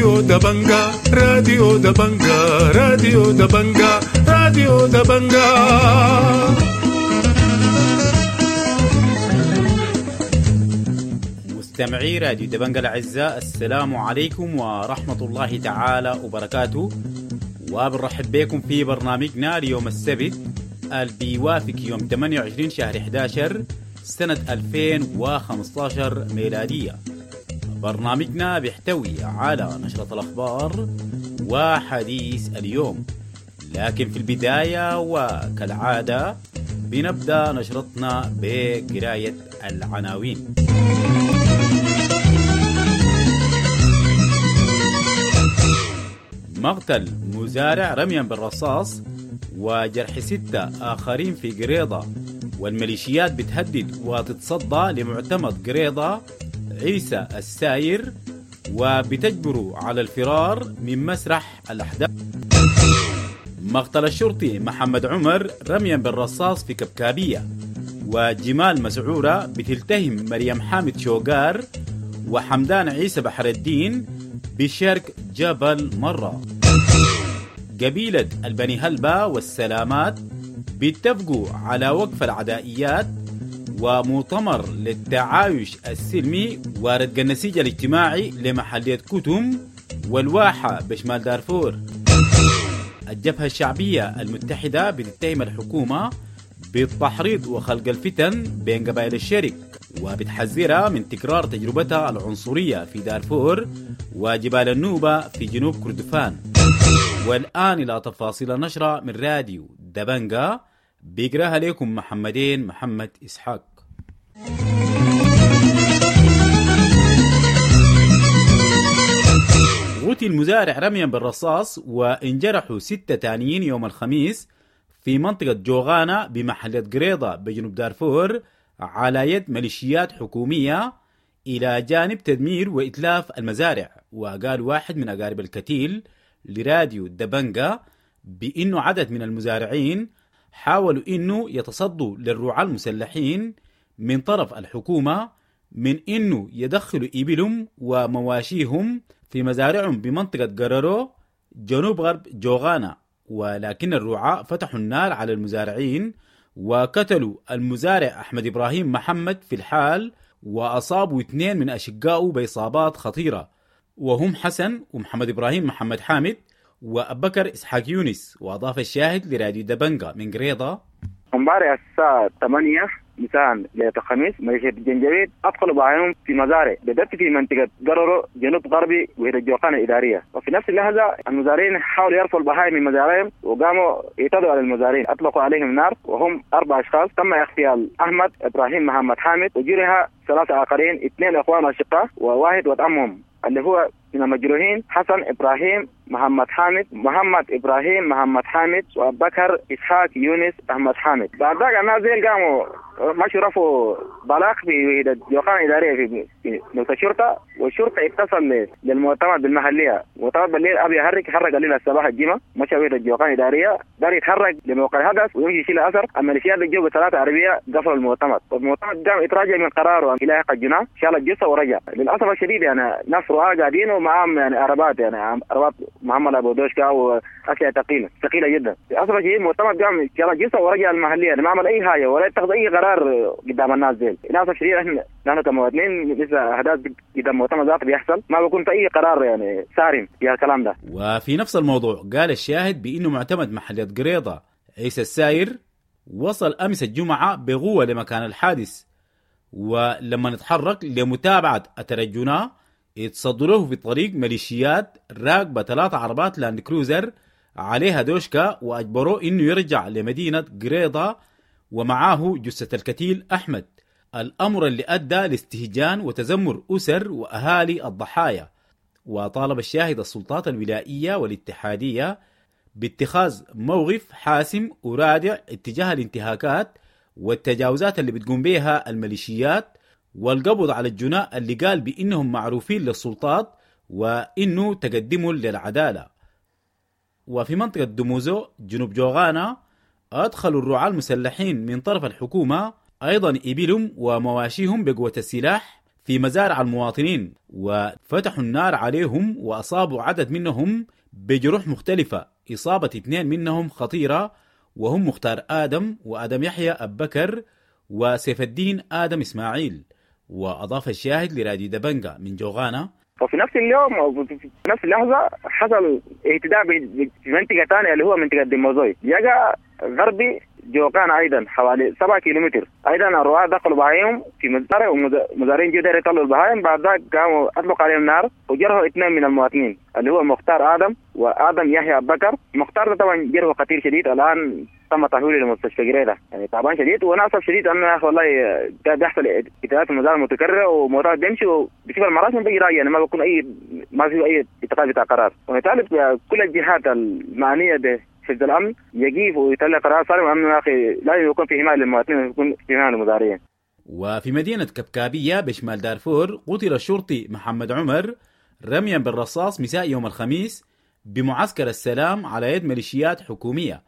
راديو دبنجا، راديو دبنجا، راديو دبنجا، راديو دبنجا. مستمعي راديو دبنجا الأعزاء، السلام عليكم ورحمة الله تعالى وبركاته، وبنرحب بكم في برنامجنا ليوم السبت اللي بيوافق يوم 28 شهر 11 سنة 2015 ميلادية. برنامجنا بيحتوي على نشرة الأخبار وحديث اليوم، لكن في البداية وكالعادة بنبدأ نشرتنا بقراية العناوين. مقتل مزارع رميا بالرصاص وجرح 6 آخرين في قريضة، والميليشيات بتهدد وتتصدى لمعتمد قريضة عيسى الساير وبتجبره على الفرار من مسرح الأحداث. مقتل الشرطي محمد عمر رميا بالرصاص في كبكابية، وجمال مسعورة بتلتهم مريم حامد شوقار وحمدان عيسى بحر الدين بشرق جبل مرة. قبيلة البني هلبة والسلامات بيتفقوا على وقف العدائيات ومؤتمر للتعايش السلمي ورد النسيج الاجتماعي لمحلية كتم والواحة بشمال دارفور. الجبهة الشعبية المتحدة بتتهم الحكومة بالتحريض وخلق الفتن بين قبائل الشرق، وبتحذرها من تكرار تجربتها العنصرية في دارفور وجبال النوبة في جنوب كردفان. والآن إلى تفاصيل النشرة من راديو دبنجا، بيقراها لكم محمدين محمد إسحاق. قتل مزارع رميا بالرصاص وانجرحوا 6 تانيين يوم الخميس في منطقة جوغانا بمحلية قريضة بجنوب دارفور على يد ميليشيات حكومية، إلى جانب تدمير وإتلاف المزارع. وقال واحد من أقارب الكتيل لراديو دبنجا بأنه عدد من المزارعين حاولوا إنه يتصدوا للرعاة المسلحين من طرف الحكومة من إنه يدخلوا إبلهم ومواشيهم في مزارعهم بمنطقة قررو جنوب غرب جوغانا، ولكن الرعاة فتحوا النار على المزارعين وقتلوا المزارع أحمد إبراهيم محمد في الحال، وأصابوا 2 من أشقائه بإصابات خطيرة، وهم حسن ومحمد إبراهيم محمد حامد وأبكر إسحاق يونس. وأضاف الشاهد لراديو دبنجا من قريضة: امبارح الساعة 8 مساء ليلة الخميس ميليشيا الجنجويد أدخلوا بعينهم في مزارع بالضبط في منطقة قررو جنوب غربي وهي الجوقانة الإدارية. وفي نفس اللحظة المزارعين حاولوا يرفعوا البهائم من مزارعهم وقاموا يعتدوا على المزارعين، أطلقوا عليهم نار وهم 4 أشخاص. تم اغتيال أحمد إبراهيم محمد حامد وجرح 3 آخرين، 2 أخوان أشقاء وواحد ولد عمهم اللي هو من المجروحين حسن إبراهيم محمد حامد، محمد إبراهيم محمد حامد، وبكر إسحاق يونس أحمد حامد. بعد ذلك الناس زين قاموا مشوا رفعوا بلاغ في الجوقان الإدارية في نقطة الشرطة، والشرطة اتصل للمؤتمر بالمحلية. مؤتمر بالليل أبي يحرك، حرك الليل الصباح الجمعة، مشى وحدة الجوقان الإدارية دار يتحرك لموقع الحدث ويمشي يشيل أثر. الميليشيات اللي جو ب3 عربية قفلوا المؤتمر، والمؤتمر قام يتراجع من قراره إلى حق الجناح، شال الجثة ورجع. للأسف الشديد يعني ناس رعاة قاعدين ومعاهم يعني عربات، يعني عربات محمد أبو دوشكا وأسلحة ثقيلة ثقيلة جدا. للأسف الشديد المؤتمر قام شال الجثة ورجع المحلية، يعني ما عمل أي حاجة ولا اتخذ أي قرار قدام الناس ديل. للأسف الشديد احنا نحن كمواطنين لسه احداث قدام المؤتمر ذاته بيحصل ما بيكون في اي قرار يعني صارم في الكلام ده. وفي نفس الموضوع قال الشاهد بانه معتمد محلية قريضة عيسى الساير وصل امس الجمعة بقوة لمكان الحادث، ولما نتحرك لمتابعة الترجنا اتصدروه في الطريق ميليشيات راكبة 3 عربات لاند كروزر عليها دوشكا، واجبروه انه يرجع لمدينة قريضة ومعاه جثة الكتيل أحمد، الأمر اللي أدى لاستهجان وتذمر أسر وأهالي الضحايا. وطالب الشاهد السلطات الولائية والاتحادية باتخاذ موقف حاسم ورادع اتجاه الانتهاكات والتجاوزات اللي بتقوم بها الميليشيات، والقبض على الجناء اللي قال بإنهم معروفين للسلطات وإنه تقدموا للعدالة. وفي منطقة دموزو جنوب جوغانا أدخلوا الرعاة المسلحين من طرف الحكومة أيضا إبلهم ومواشيهم بقوة السلاح في مزارع المواطنين وفتحوا النار عليهم وأصابوا عدد منهم بجروح مختلفة، إصابة 2 منهم خطيرة وهم مختار آدم وآدم يحيى أبكر وسيف الدين آدم إسماعيل. وأضاف الشاهد لراديو دبنجا من جوغانا: وفي نفس اليوم أو في نفس اللحظة حصل اعتداء في منطقة ثانية اللي هو منطقة ديموزوي يقع غربي جوغانا أيضا حوالي 7 كيلومتر. أيضا الرعاة دخلوا بهايم في مزارع ومزارعين جدر يطلعوا البهايم، بعد ذاك قاموا أطلقوا عليهم نار وجرحوا 2 من المواطنين اللي هو مختار آدم وآدم يحيى بكر. مختار طبعا جرحه خطير شديد، الآن تم تحويله لمستشفى قريدة، يعني تعبان شديد. وانا اسف شديد انه يا اخي والله ده بيحصل اعتداءات المزارع متكرره وموضوع بيمشي وبشوف المراسم بيجي راجع، يعني ما بيكون اي ما في اي اتخاذ بتاع قرار. ونطالب كل الجهات المعنيه بحفظ الامن يجيب ويطلع قرار صارم انه يا اخي لازم يكون في حمايه للمواطنين ويكون في حمايه للمزارعين. وفي مدينه كبكابيه بشمال دارفور قتل الشرطي محمد عمر رميا بالرصاص مساء يوم الخميس بمعسكر السلام على يد ميليشيات حكوميه.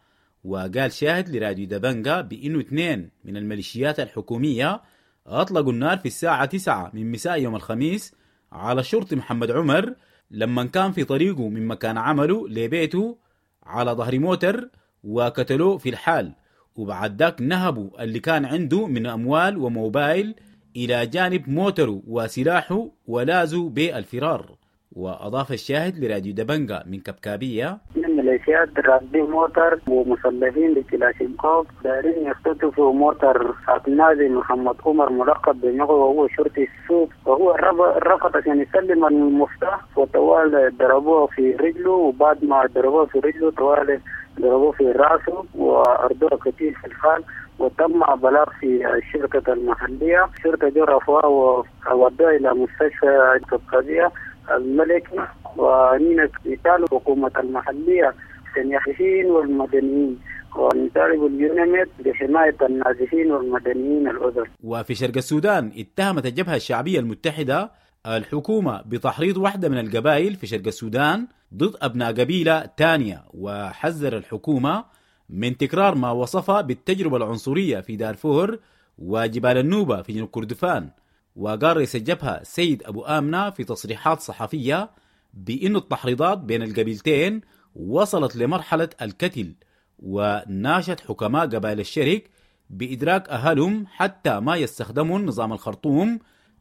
وقال شاهد لراديو دبنجا بأنه 2 من الميليشيات الحكومية أطلقوا النار في الساعة 9 من مساء يوم الخميس على الشرطي محمد عمر لما كان في طريقه من مكان عمله لبيته على ظهر موتر وقتلوه في الحال، وبعد ذاك نهبوا اللي كان عنده من أموال وموبايل إلى جانب موتره وسلاحه ولازوا بالفرار. وأضاف الشاهد لراديو دبنجا من كبكابية: الميليشيات راكبين موتر ومسلحين بكلاشينكوف دارين يختطفوا موتر نازي محمد عمر ملقب بنغو وهو شرطي السوق، وهو رفض عشان يسلم المفتاح وطوال ضربوه في رجله، وبعد ما ضربوه في رجله طوال ضربوه في راسه وأرضوه كثير في الحال. وتم بلاغ في الشرطة المحلية، الشرطة جو رفعوه وودوه إلى مستشفى الكبكابية الملكي. ونينا نطالب الحكومة المحلية النازحين والمدنيين، ونطالب اليوناميد بحماية النازحين والمدنيين الأذر. وفي شرق السودان اتهمت الجبهة الشعبية المتحدة الحكومة بتحريض واحدة من القبائل في شرق السودان ضد أبناء قبيلة تانية، وحذر الحكومة من تكرار ما وصفه بالتجربة العنصرية في دارفور وجبال النوبة في جنوب كردفان. وقال رئيس الجبهة سيد أبو آمنة في تصريحات صحفية بأن التحريضات بين القبيلتين وصلت لمرحلة القتل، وناشد حكماء قبائل الشرق بإدراك أهلهم حتى ما يستخدمون نظام الخرطوم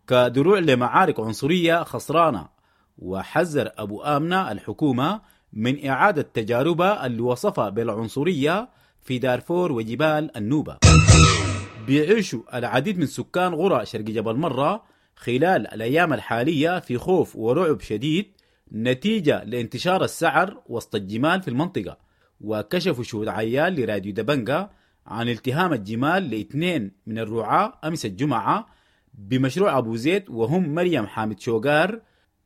كدروع لمعارك عنصرية خسرانة. وحذر أبو آمنة الحكومة من إعادة تجاربها اللي وصفها بالعنصرية في دارفور وجبال النوبة. بيعيشوا العديد من سكان قرى شرق جبل مرة خلال الأيام الحالية في خوف ورعب شديد نتيجة لانتشار السعر وسط الجمال في المنطقة. وكشفوا شهود عيال لراديو دبنجا عن التهام الجمال ل2 من الرعاة أمس الجمعة بمشروع أبو زيد، وهم مريم حامد شوقار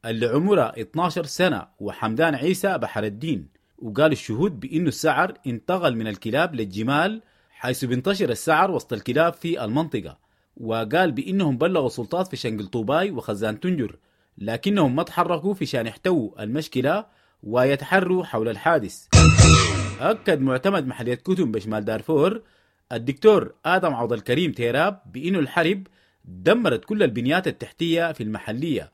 اللي عمرها 12 سنة وحمدان عيسى بحر الدين. وقال الشهود بأنه السعر انتقل من الكلاب للجمال حيث بينتشر السعر وسط الكلاب في المنطقة. وقال بأنهم بلغوا السلطات في شنقل طوباي وخزان تنجر، لكنهم ما تحركوا في شان يحتووا المشكلة ويتحروا حول الحادث. أكد معتمد محلية كتم بشمال دارفور الدكتور آدم عوض الكريم تيراب بأنه الحرب دمرت كل البنيات التحتية في المحلية.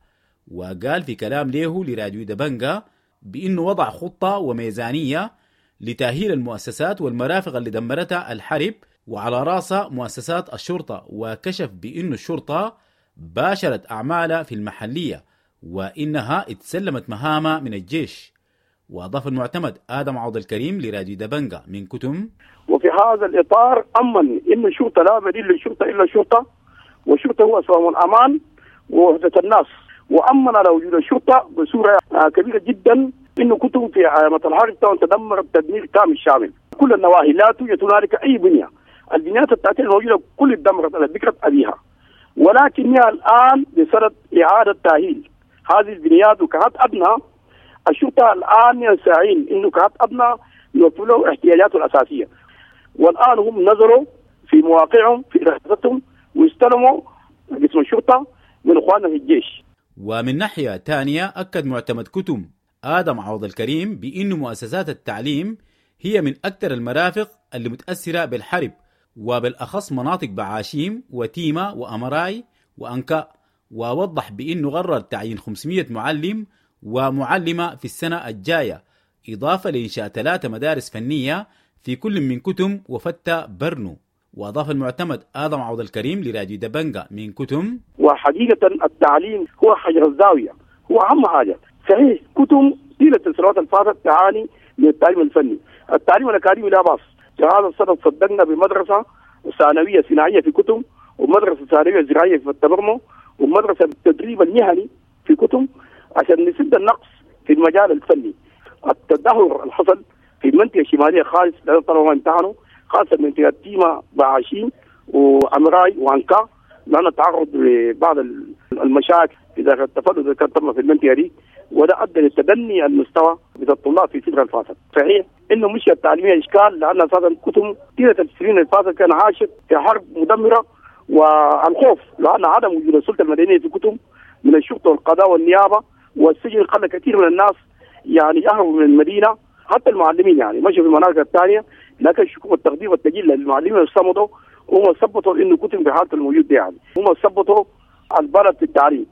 وقال في كلام له لراديو دبنجا بأنه وضع خطة وميزانية لتأهيل المؤسسات والمرافق اللي دمرتها الحرب، وعلى رأسها مؤسسات الشرطة. وكشف بأن الشرطة باشرت أعمالها في المحلية وإنها اتسلمت مهامها من الجيش. وأضاف المعتمد آدم عوض الكريم لراديو دبنجا من كتم: وفي هذا الإطار أمن إن الشرطة لا بديل للشرطة إلا الشرطة، والشرطة هو سلام الأمان ووحدة الناس، وأمن على وجود الشرطة بصورة كبيرة جدا. إنه كتم في علامة الحرب تدمر تدمير كامل شامل كل النواحي، لا توجد هنالك أي بنية، البنيات التحتية الموجودة كل دمرت على بكرة أبيها، ولكنها الآن بصدد إعادة تأهيل هذه البنيات. وكهات أدنى الشرطة الآن يسعين إنه كهات أدنى يوفر له احتياجاته الأساسية، والآن هم نظروا في مواقعهم في رئاستهم واستلموا قسم الشرطة من إخواننا في الجيش. ومن ناحية ثانية أكد معتمد كتم آدم عوض الكريم بأن مؤسسات التعليم هي من أكثر المرافق اللي متأثرة بالحرب، وبالأخص مناطق بعاشيم وتيمة وأمراي وأنكاء. ووضح بأنه قرر تعيين 500 معلم ومعلمة في السنة الجاية، إضافة لإنشاء 3 مدارس فنية في كل من كتم وفتة برنو. وأضاف المعتمد آدم عوض الكريم لراديو دبنجا من كتم: وحقيقة التعليم هو حجر الزاوية، هو أهم حاجة. صحيح كتم طيلة السنوات الفاتت تعاني من التعليم الفني، التعليم الأكاديمي لا بأس. هذا الصدد صدقنا بمدرسة ثانوية صناعية في كتم، ومدرسة ثانوية زراعية في التبرمو، ومدرسة بالتدريب المهني في كتم، عشان نسد النقص في المجال الفني. التدهور اللي حصل في المنطقة الشمالية خالص لأن الطلبة ما امتحنوا، خاصة منطقة تيما بعاشين وأمراي وأنكا، لأن تعرض لبعض المشاكل إذا التفلت اللي كان تم في المنطقة دي، وده أدى لتدني المستوى بتاع الطلاب في الفترة الفاتت. صحيح إنه مش التعليمية إشكال، لأن أساسا كتم طيلة السنين اللي فاتت كان عاشت في حرب مدمرة والخوف، لأن عدم وجود السلطة المدنية في كتم من الشرطة والقضاء والنيابة والسجن خلى كثير من الناس يعني يهربوا من المدينة، حتى المعلمين يعني مشوا في المناطق الثانية. لكن الشكوك والتقدير والتجيل للمعلمين اللي صمدوا هم ثبتوا انه كتم بحالته الموجود يعني هم ثبتوا البلد في التعليم.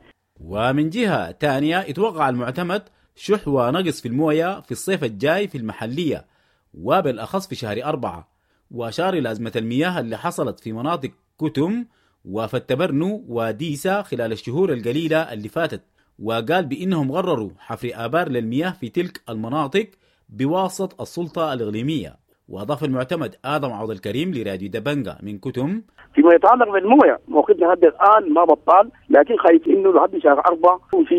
ومن جهة ثانية اتوقع المعتمد شح ونقص في الموية في الصيف الجاي في المحلية، وبالأخص في شهر 4، وأشار إلى أزمة المياه اللي حصلت في مناطق كتم وفتبرنو وديسا خلال الشهور القليلة اللي فاتت، وقال بأنهم قرروا حفر آبار للمياه في تلك المناطق بواسطة السلطة الإقليمية. وأضاف المعتمد آدم عوض الكريم لراديو دبنجا من كتم: فيما يتعلق بالمويه موقفنا لحد الآن ما بطال، لكن خايف إنه لحد شهر 4 في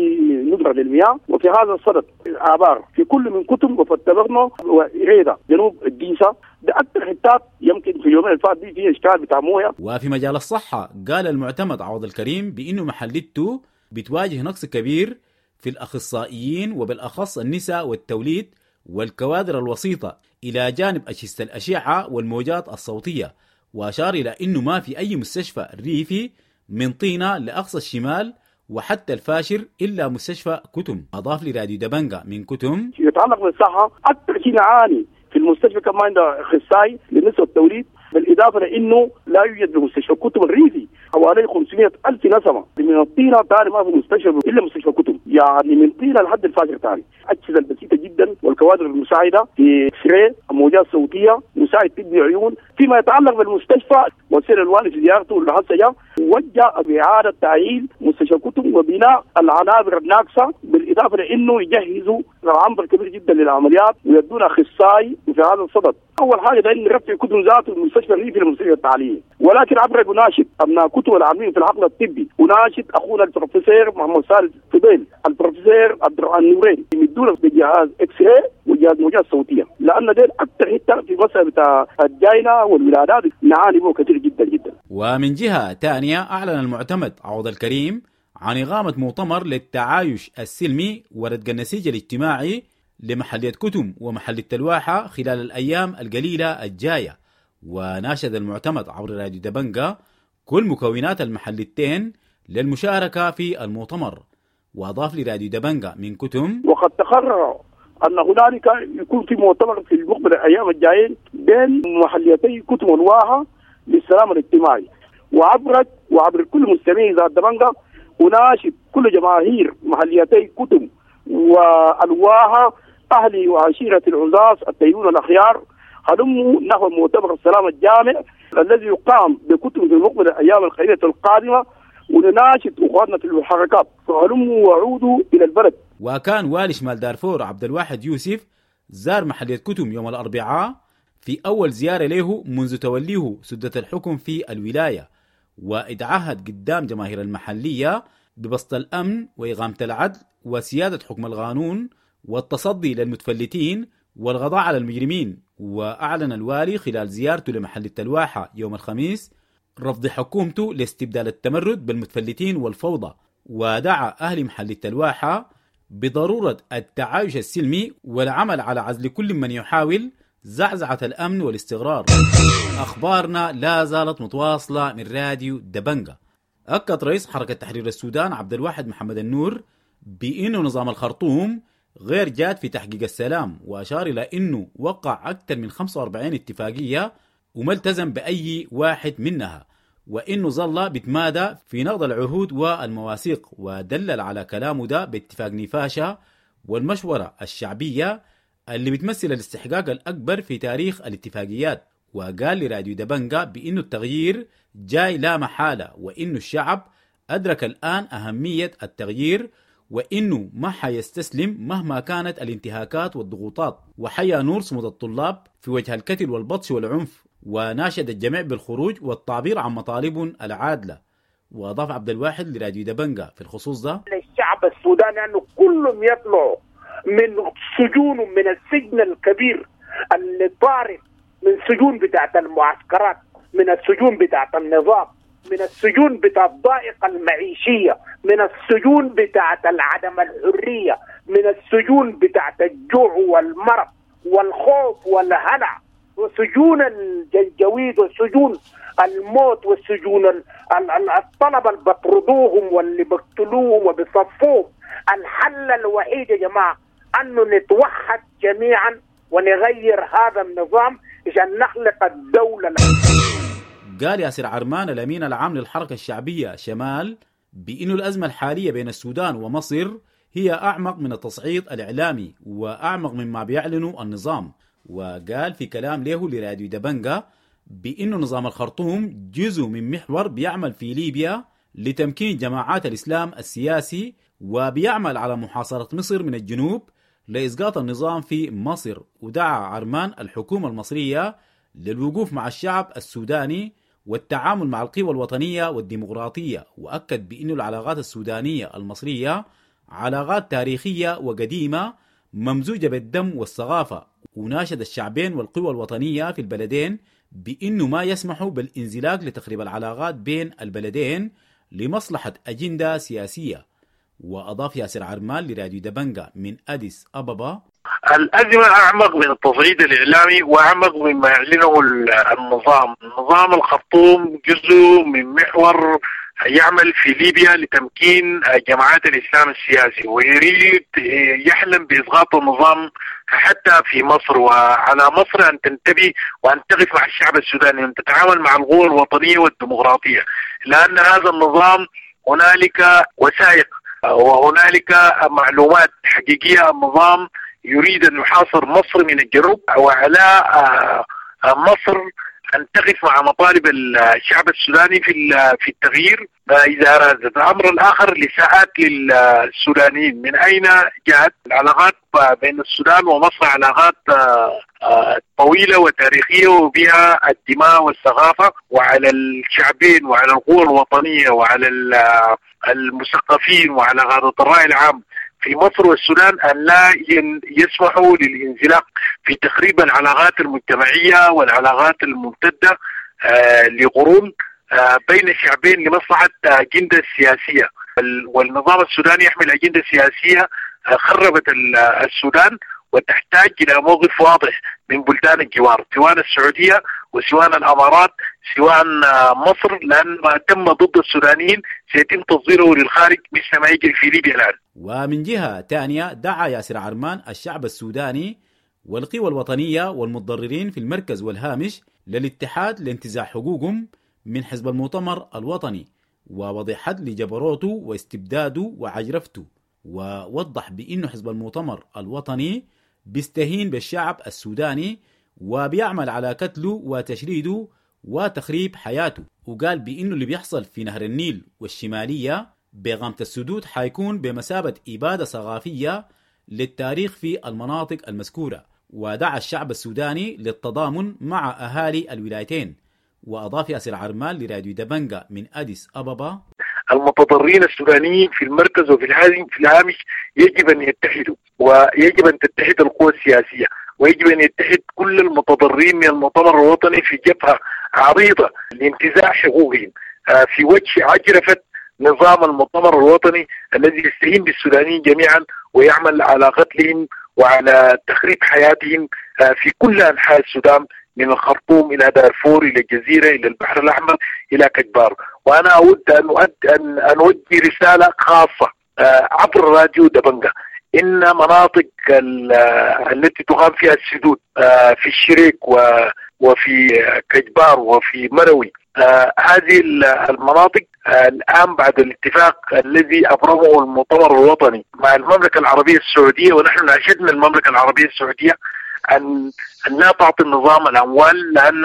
ندرة للمياه. وفي هذا الصدد آبار في كل من كتم وفتبرنو وإريدا جنوب الديسة، ده أكثر حتات يمكن في اليومين اللي فات دي في إشكال بتاع مويه. وفي مجال الصحة قال المعتمد عوض الكريم بإنه محلته بتواجه نقص كبير في الأخصائيين وبالأخص النساء والتوليد والكوادر الوسيطة، إلى جانب أجهزة الأشعة والموجات الصوتية. وأشار إلى أنه ما في أي مستشفى ريفي من طينة لأقصى الشمال وحتى الفاشر إلا مستشفى كتم. أضاف لراديو دبنجا من كتم: يتعلق بالصحة أكثر شيء نعاني في المستشفى كمان عنده أخصائي للنساء والتوليد، بالإضافة لأنه لا يوجد بمستشفى كتم الريفي حوالي 500,000 نسمة من الطينة تاني ما في مستشفى إلا مستشفى كتم، يعني من طينة لحد الفاجر تاني. أجهزة البسيطة جدا والكوادر المساعدة في X-ray، موجات صوتية، مساعد طبي عيون. فيما يتعلق بالمستشفى وسير الوالي في زيارته اللي هسه جاء وجه بإعادة تأهيل مستشفى كتم وبناء العنابر الناقصة، بالإضافة لأنه يجهزوا عنبر كبير جدا للعمليات ويدون أخصائي في هذا الصدد. أول حاجة ده إن رفع كتم ذاته المستشفى الريفي للمستشفى التعليمي، ولكن عبر أناشد أبناء كتم العاملين في العقل الطبي، أناشد أخونا البروفيسور محمد سالم فضيل، البروفيسور عبد الرحمن نورين، يمدونا بجهاز X-ray وجهاز موجات صوتية، لأن ديل أكثر حتة في مسألة بتاع الجاينة والولادات نعاني به كثير جدا جدا. ومن جهة ثانية أعلن المعتمد عوض الكريم عن إقامة مؤتمر للتعايش السلمي وردق النسيج الاجتماعي لمحلية كتم ومحلية الواحة خلال الأيام القليلة الجاية. وناشد المعتمد عبر راديو دبنجا كل مكونات المحلتين للمشاركة في المؤتمر. وأضاف لراديو دبنجا من كتم: وقد تقرر أن هنالك يكون في مؤتمر في المقبل الأيام الجايين بين محليتي كتم والواحة للسلام الاجتماعي. وعبر كل مستمعي ذات دبنجا أناشد كل جماهير محليتي كتم والواحة، أهلي وعشيرة العزاز التيون الأخيار، هلموا نحو مؤتمر السلام الجامع الذي يقام بكتم في المقبل الأيام القليلة القادمة، ونناشد أخواننا في الحركات فهلموا وعودوا إلى البلد. وكان والي شمال دارفور عبد الواحد يوسف زار محلية كتم يوم الأربعاء في أول زيارة له منذ توليه سدة الحكم في الولاية، واتعهد قدام جماهير المحلية ببسط الأمن وإقامة العدل وسيادة حكم القانون والتصدي للمتفلتين والغضاء على المجرمين. وأعلن الوالي خلال زيارته لمحل الواحة يوم الخميس رفض حكومته لاستبدال التمرد بالمتفلتين والفوضى، ودعا أهل محل الواحة بضرورة التعايش السلمي والعمل على عزل كل من يحاول زعزعة الأمن والاستقرار. أخبارنا لا زالت متواصلة من راديو دبنجا. أكد رئيس حركة تحرير السودان عبد الواحد محمد النور بأنه نظام الخرطوم غير جاد في تحقيق السلام، وأشار إلى أنه وقع أكثر من 45 اتفاقية وما التزم بأي واحد منها. وإنه ظل بتمادى في نقض العهود والمواثيق، ودلل على كلامه ده باتفاق نيفاشا والمشورة الشعبية اللي بتمثل الاستحقاق الأكبر في تاريخ الاتفاقيات. وقال لراديو دبنجا بإنه التغيير جاي لا محالة، وإنه الشعب أدرك الآن أهمية التغيير، وإنه ما حيستسلم مهما كانت الانتهاكات والضغوطات. وحيا نور صمود الطلاب في وجه الكتل والبطش والعنف، وناشد الجميع بالخروج والتعبير عن مطالبهم العادلة. وأضاف عبد الواحد لراديو دبنجا في الخصوص ده: الشعب السوداني أنه كلهم يطلعوا من سجونهم، من السجن الكبير اللي طارد، من سجون بتاعت المعسكرات، من السجون بتاعت النظام، من السجون بتاعت الضائقة المعيشية، من السجون بتاعت العدم الحرية، من السجون بتاعت الجوع والمرض والخوف والهلع، وسجون الجنجويد وسجون الموت وسجون الطلبة اللي بطردوهم واللي بقتلوهم وبيصفوهم. الحل الوحيد يا جماعة أنه نتوحد جميعا ونغير هذا النظام عشان نخلق الدولة. قال ياسر عرمان الأمين العام للحركة الشعبية شمال بأن الأزمة الحالية بين السودان ومصر هي أعمق من التصعيد الإعلامي وأعمق مما بيعلنه النظام. وقال في كلام له لراديو دبنجا بأن نظام الخرطوم جزء من محور بيعمل في ليبيا لتمكين جماعات الإسلام السياسي، وبيعمل على محاصرة مصر من الجنوب لإسقاط النظام في مصر. ودعا عرمان الحكومة المصرية للوقوف مع الشعب السوداني والتعامل مع القوى الوطنية والديمقراطية، وأكد بأن العلاقات السودانية المصرية علاقات تاريخية وقديمة ممزوجة بالدم والثقافة، وناشد الشعبين والقوى الوطنية في البلدين بأنه ما يسمحوا بالانزلاق لتخريب العلاقات بين البلدين لمصلحة أجندة سياسية. وأضاف ياسر عرمان لراديو دبنجا من أديس أبابا: الأزمة أعمق من التصعيد الإعلامي وأعمق مما يعلنه النظام. نظام الخرطوم جزء من محور يعمل في ليبيا لتمكين جماعات الإسلام السياسي، ويريد يحلم بإسقاط النظام حتى في مصر. وعلى مصر أن تنتبه وأن تقف مع الشعب السوداني، أن تتعامل مع القوى الوطنية والديمقراطية، لأن هذا النظام هنالك وثائق وهنالك معلومات حقيقية. النظام يريد أن يحاصر مصر من الجنوب، وعلى مصر أن تقف مع مطالب الشعب السوداني في التغيير إذا أرادت. الأمر الآخر لساءات للسودانيين، من أين جاءت العلاقات بين السودان ومصر؟ علاقات طويلة وتاريخية وبها الدماء والثقافة، وعلى الشعبين وعلى القوى الوطنية وعلى المثقفين وعلى قادة الرأي العام في مصر والسودان أن لا يسمحوا للانزلاق في تخريب العلاقات المجتمعية والعلاقات الممتدة لقرون بين الشعبين لمصلحة أجندة سياسية. والنظام السوداني يحمل أجندة سياسية خربت السودان، وتحتاج إلى موقف واضح من بلدان الجوار، سواء السعودية وسواء الأمارات سواء مصر، لأن ما تم ضد السودانيين سيتم تصديره للخارج مثل ما يجري في ليبيا الآن. ومن جهة ثانية دعا ياسر عرمان الشعب السوداني والقوى الوطنية والمتضررين في المركز والهامش للاتحاد لانتزاع حقوقهم من حزب المؤتمر الوطني ووضع حد لجبروته واستبداده وعجرفته. ووضح بأنه حزب المؤتمر الوطني بيستهين بالشعب السوداني وبيعمل على قتله وتشريده وتخريب حياته. وقال بأنه اللي بيحصل في نهر النيل والشمالية بغامة السدود حيكون بمثابة إبادة ثقافية للتاريخ في المناطق المذكورة. ودعا الشعب السوداني للتضامن مع أهالي الولايتين. وأضاف ياسر عرمان لراديو دبنجا من أديس أبابا: المتضررين السودانيين في المركز وفي الهامش يجب أن يتحدوا، ويجب أن تتحد القوى السياسية، ويجب أن يتحد كل المتضررين من المؤتمر الوطني في جبهة عريضة لانتزاع حقوقهم في وجه عجرفة نظام المؤتمر الوطني الذي يستهين بالسودانيين جميعا ويعمل على قتلهم وعلى تخريب حياتهم في كل أنحاء السودان، من الخرطوم إلى دارفور إلى الجزيرة إلى البحر الأحمر إلى كجبار. وأنا أود أن أوجه رسالة خاصة عبر راديو دبنجا، إن مناطق التي تقام فيها السدود في الشريك وفي كجبار وفي مروي هذه المناطق الآن بعد الاتفاق الذي أبرمه المؤتمر الوطني مع المملكة العربية السعودية، ونحن ناشدنا المملكة العربية السعودية أن لا تعطي النظام الأموال، لأن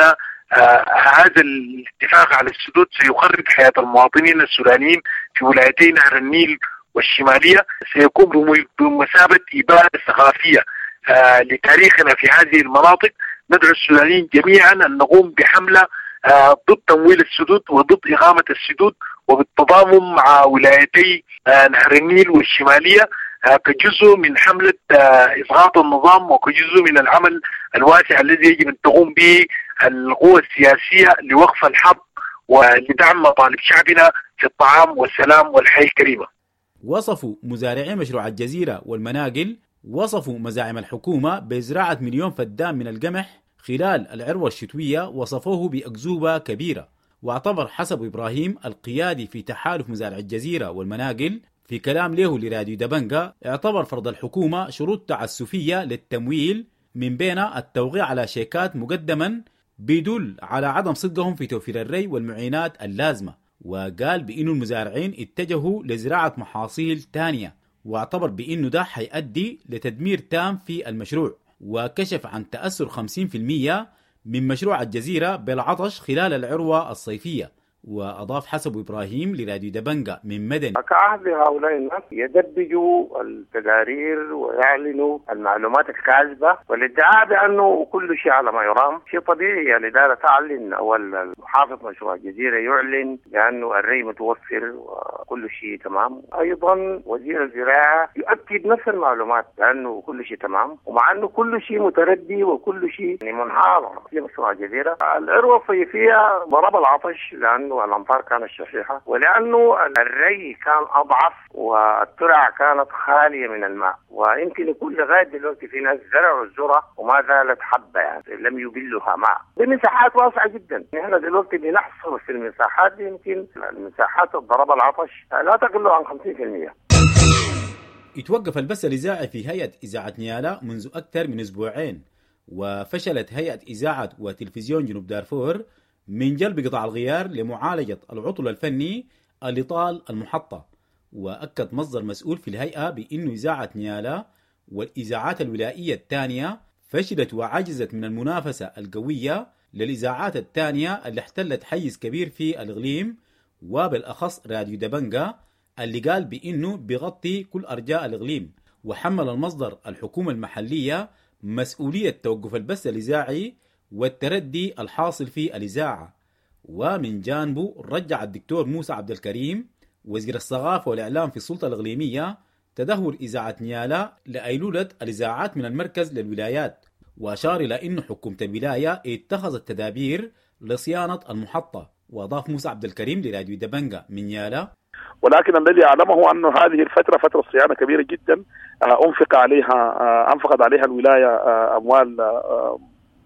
هذا الاتفاق على السدود سيخرب حياة المواطنين السودانيين في ولايتي نهر النيل والشمالية، سيكون بمثابة إبادة ثقافية لتاريخنا في هذه المناطق. ندعو السودانيين جميعا أن نقوم بحملة ضد تمويل السدود وضد إقامة السدود، وبالتضامن مع ولايتي نهر النيل والشمالية كجزء من حملة إسقاط النظام وكجزء من العمل الواسع الذي يجب أن تقوم به القوى السياسية لوقف الحرب ولدعم مطالب شعبنا في الطعام والسلام والحياة الكريمة. وصفوا مزارعي مشروع الجزيرة والمناقل وصفوا مزاعم الحكومة بزراعة 1,000,000 فدان من القمح خلال العروة الشتوية، وصفوه بأكذوبة كبيرة. واعتبر حسب إبراهيم القيادي في تحالف مزارع الجزيرة والمناقل في كلام له لراديو دبنجا، اعتبر فرض الحكومة شروط تعسفية للتمويل من بين التوقيع على شيكات مقدما بيدل على عدم صدقهم في توفير الري والمعينات اللازمة. وقال بأنه المزارعين اتجهوا لزراعة محاصيل تانية، واعتبر بأنه ده حيؤدي لتدمير تام في المشروع. وكشف عن تأثر 50% من مشروع الجزيرة بالعطش خلال العروة الصيفية. وأضاف حسب إبراهيم لراديو دبنجا من مدني: كعهد هؤلاء الناس يدبجوا التقارير ويعلنوا المعلومات الكاذبة والادعاء بأنه كل شيء على ما يرام. شيء طبيعي يعني الإدارة تعلن أو المحافظ مشروع الجزيرة يعلن بأنه الري متوفر وكل شيء تمام. أيضا وزير الزراعة يؤكد نفس المعلومات بأنه كل شيء تمام، ومع أنه كل شيء متردي وكل شيء يعني منهار في مشروع الجزيرة. العروة الصيفية ضرب العطش لأنه الأمطار كانت شحيحة، ولأنه الري كان أضعف والترع كانت خالية من الماء، ويمكن يكون لغاية دلوقتي في ناس زرعوا الذرة وما زالت حبة، يعني لم يبلها ماء بمساحات واسعة جدا. نحن دلوقتي بنحصر في المساحات دي، يمكن المساحات ضرب العطش لا تقل عن 50%. يتوقف البث الإذاعي في هيئة إذاعة نيالا منذ أكثر من أسبوعين، وفشلت هيئة إذاعة وتلفزيون جنوب دارفور من جلب قطع الغيار لمعالجة العطل الفني اللي طال المحطة. وأكد مصدر مسؤول في الهيئة بأنه إذاعة نيالا والإذاعات الولائية الثانية فشلت وعجزت من المنافسة القوية للإذاعات الثانية اللي احتلت حيز كبير في الإقليم، وبالأخص راديو دبنجا اللي قال بأنه بيغطي كل أرجاء الإقليم. وحمل المصدر الحكومة المحلية مسؤولية توقف البث الإذاعي والتردي الحاصل في الإذاعة. ومن جانبه رجع الدكتور موسى عبد الكريم وزير الثقافة والإعلام في السلطة الإقليمية تدهور إذاعة نيالا لأيلولة الإذاعات من المركز للولايات، وأشار إلى أن حكومة الولاية اتخذت تدابير لصيانة المحطة. وأضاف موسى عبد الكريم لراديو دبنجا من نيالا: ولكن الذي أعلمه أن هذه الفترة فترة صيانة كبيرة جدا أنفقت عليها الولاية أموال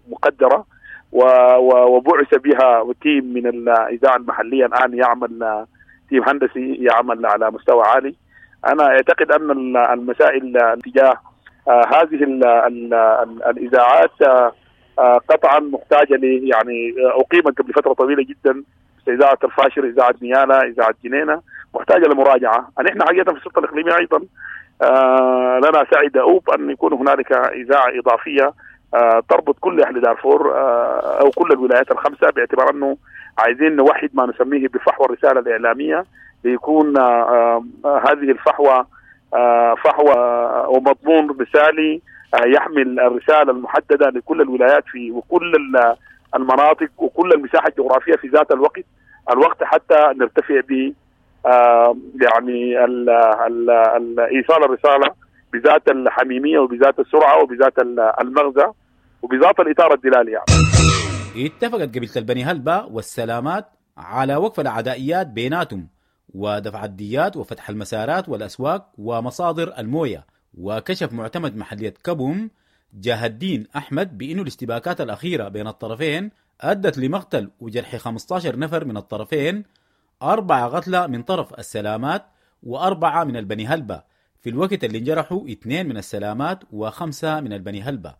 مقدرة، وبعث بها team من الإذاعة المحلية الآن يعمل team هندسي يعمل على مستوى عالي. أنا أعتقد أن المسائل تجاه هذه الإذاعات قطعا محتاجة يعني أقيمت قبل فترة طويلة جدا، إذاعة الفاشر، إذاعة نيالا، إذاعة جنينة، محتاجة لمراجعة. نحن حقيقة في السلطة الإقليمية أيضا لنا سعي دؤوب أن يكون هنالك إذاعة إضافية تربط كل أهل دارفور أو كل الولايات الخمسة، باعتبار أنه عايزين نوحد ما نسميه بفحوى الرسالة الإعلامية، ليكون هذه الفحوى فحوى ومضمون رسالي يحمل الرسالة المحددة لكل الولايات في وكل المناطق وكل المساحة الجغرافية في ذات الوقت حتى نرتفع ب يعني إيصال الرسالة بذات الحميمية وبذات السرعة وبذات المغزى وبذات الإطار الدلالي. يعني اتفقت قبيلة البني هلبة والسلامات على وقف العدائيات بيناتهم ودفع الديات وفتح المسارات والأسواق ومصادر الموية. وكشف معتمد محلية كبوم جاه الدين أحمد بأنه الاشتباكات الأخيرة بين الطرفين أدت لمقتل وجرح 15 نفر من الطرفين، 4 قتلى من طرف السلامات و4 من البني هلبة، في الوقت اللي انجرحوا 2 من السلامات و5 من البني هلبة.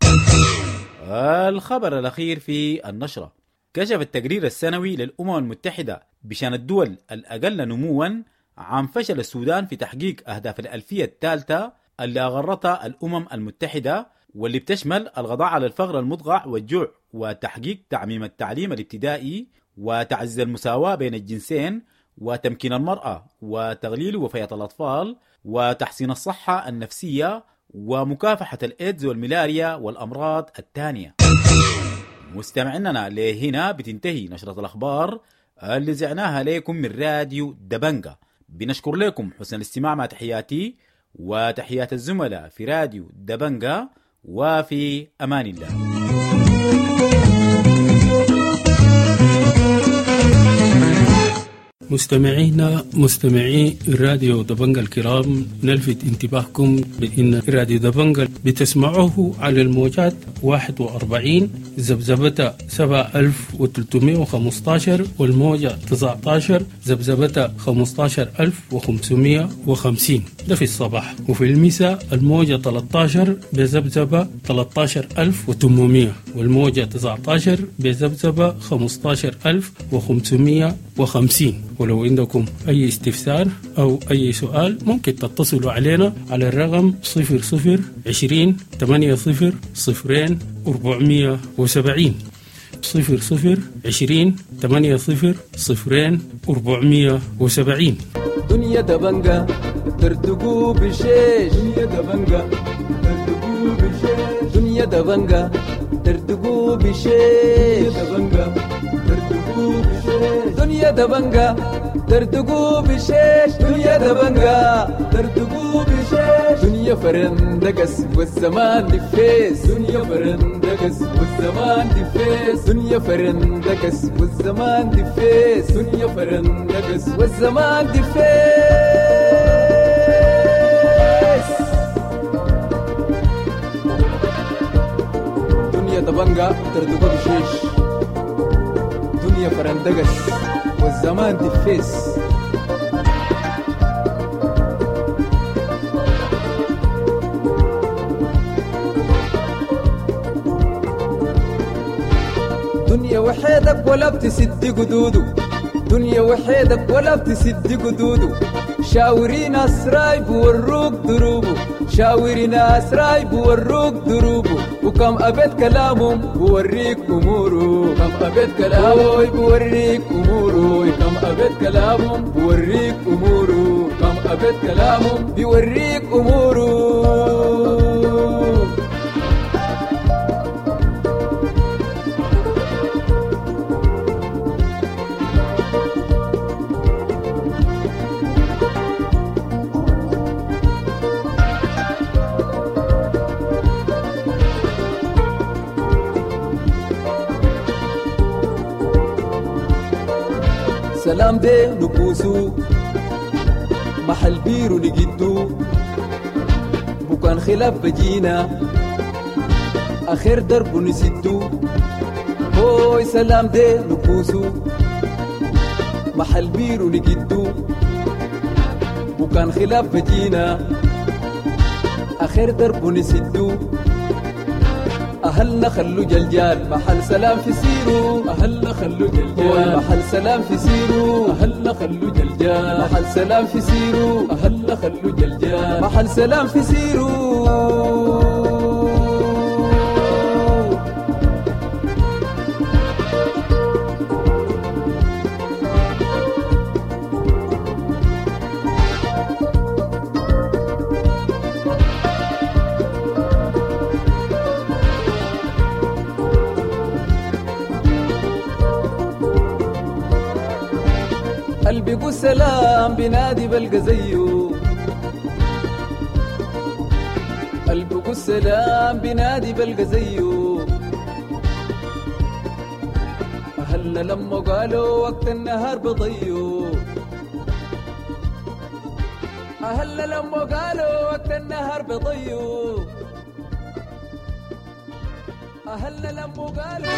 الخبر الأخير في النشرة: كشف التقرير السنوي للأمم المتحدة بشأن الدول الأقل نموا عن فشل السودان في تحقيق أهداف الألفية الثالثة اللي أغرتها الأمم المتحدة، واللي بتشمل القضاء على الفقر المدقع والجوع، وتحقيق تعميم التعليم الابتدائي، وتعزيز المساواة بين الجنسين، وتمكين المرأة، وتقليل وفيات الأطفال، وتحسين الصحة النفسية، ومكافحة الإيدز والملاريا والأمراض الثانية. مستمعينا، لهنا بتنتهي نشرة الأخبار اللي زعناها لكم من راديو دبنجا. بنشكر لكم حسن الاستماع، مع تحياتي وتحيات الزملاء في راديو دبنجا، وفي أمان الله. مستمعينا مستمعي راديو دبنجا الكرام، نلفت انتباهكم بأن راديو دبنجا بتسمعوه على الموجات 41 ذبذبة 7315، والموجة 19 ذبذبة 15550، ده في الصباح. وفي المساء الموجة 13 بذبذبة 13800، والموجة 19 بذبذبة 15550. ولو عندكم أي استفسار أو أي سؤال ممكن تتصلوا علينا على الرقم 00 20 80 0 470، 00 20 80 0 470. دنيا دبنجة ترتقو بشيش، دنيا دبنجة ترتقو بشيش، دنيا دبنجة ترتقو بشيش، دبنجة ترتقو بشيش، دنيا دبنجة ترتقو بشيش، دنيا دبنجة ترتقو بشيش، دنيا فرندقس والزمان دفيس، دنيا فرندقس والزمان دفيس، دنيا فرندقس والزمان دفيس، دنيا فرندقس والزمان دفيس. دنيا دبنجة ترتقو بشيش، دنيا فرندقس والزمان دفيس. دنيا وحيدك ولا بتسد قدوده، دنيا وحيدك ولا بتسد قدوده، شاوري ناس رايب وروك دروبه، شاوري ناس رايب وروك دروبه، وكم أبيت كلامهم بوريك أموره، كم أبيت كلامه بوريك أموره، كم أبيت كلامهم بوريك أموره، كم أبيت كلامهم بيوريك أموره. سلام دي نبوسو محل بيرو نجدو، بكان خلاف بجينا آخر درب نسدو، هوي سلام دي نبوسو محل بيرو نجدو، بكان خلاف بجينا آخر درب نسدو، أهلنا خلو جلجال محل سلام في سيرو، أهلنا خلو جلجال محل سلام في سيرو، أهلنا خلو جلجال محل سلام في سيرو، أهلنا خلو جلجال محل سلام في سيرو. قلبي سلام بنادي بلقى زيه، قلبي سلام بنادي بلقى زيه، أهلنا لما قالوا وقت النهار بضيو، أهلنا لما قالوا وقت النهار بضيو، أهلنا لما قالوا.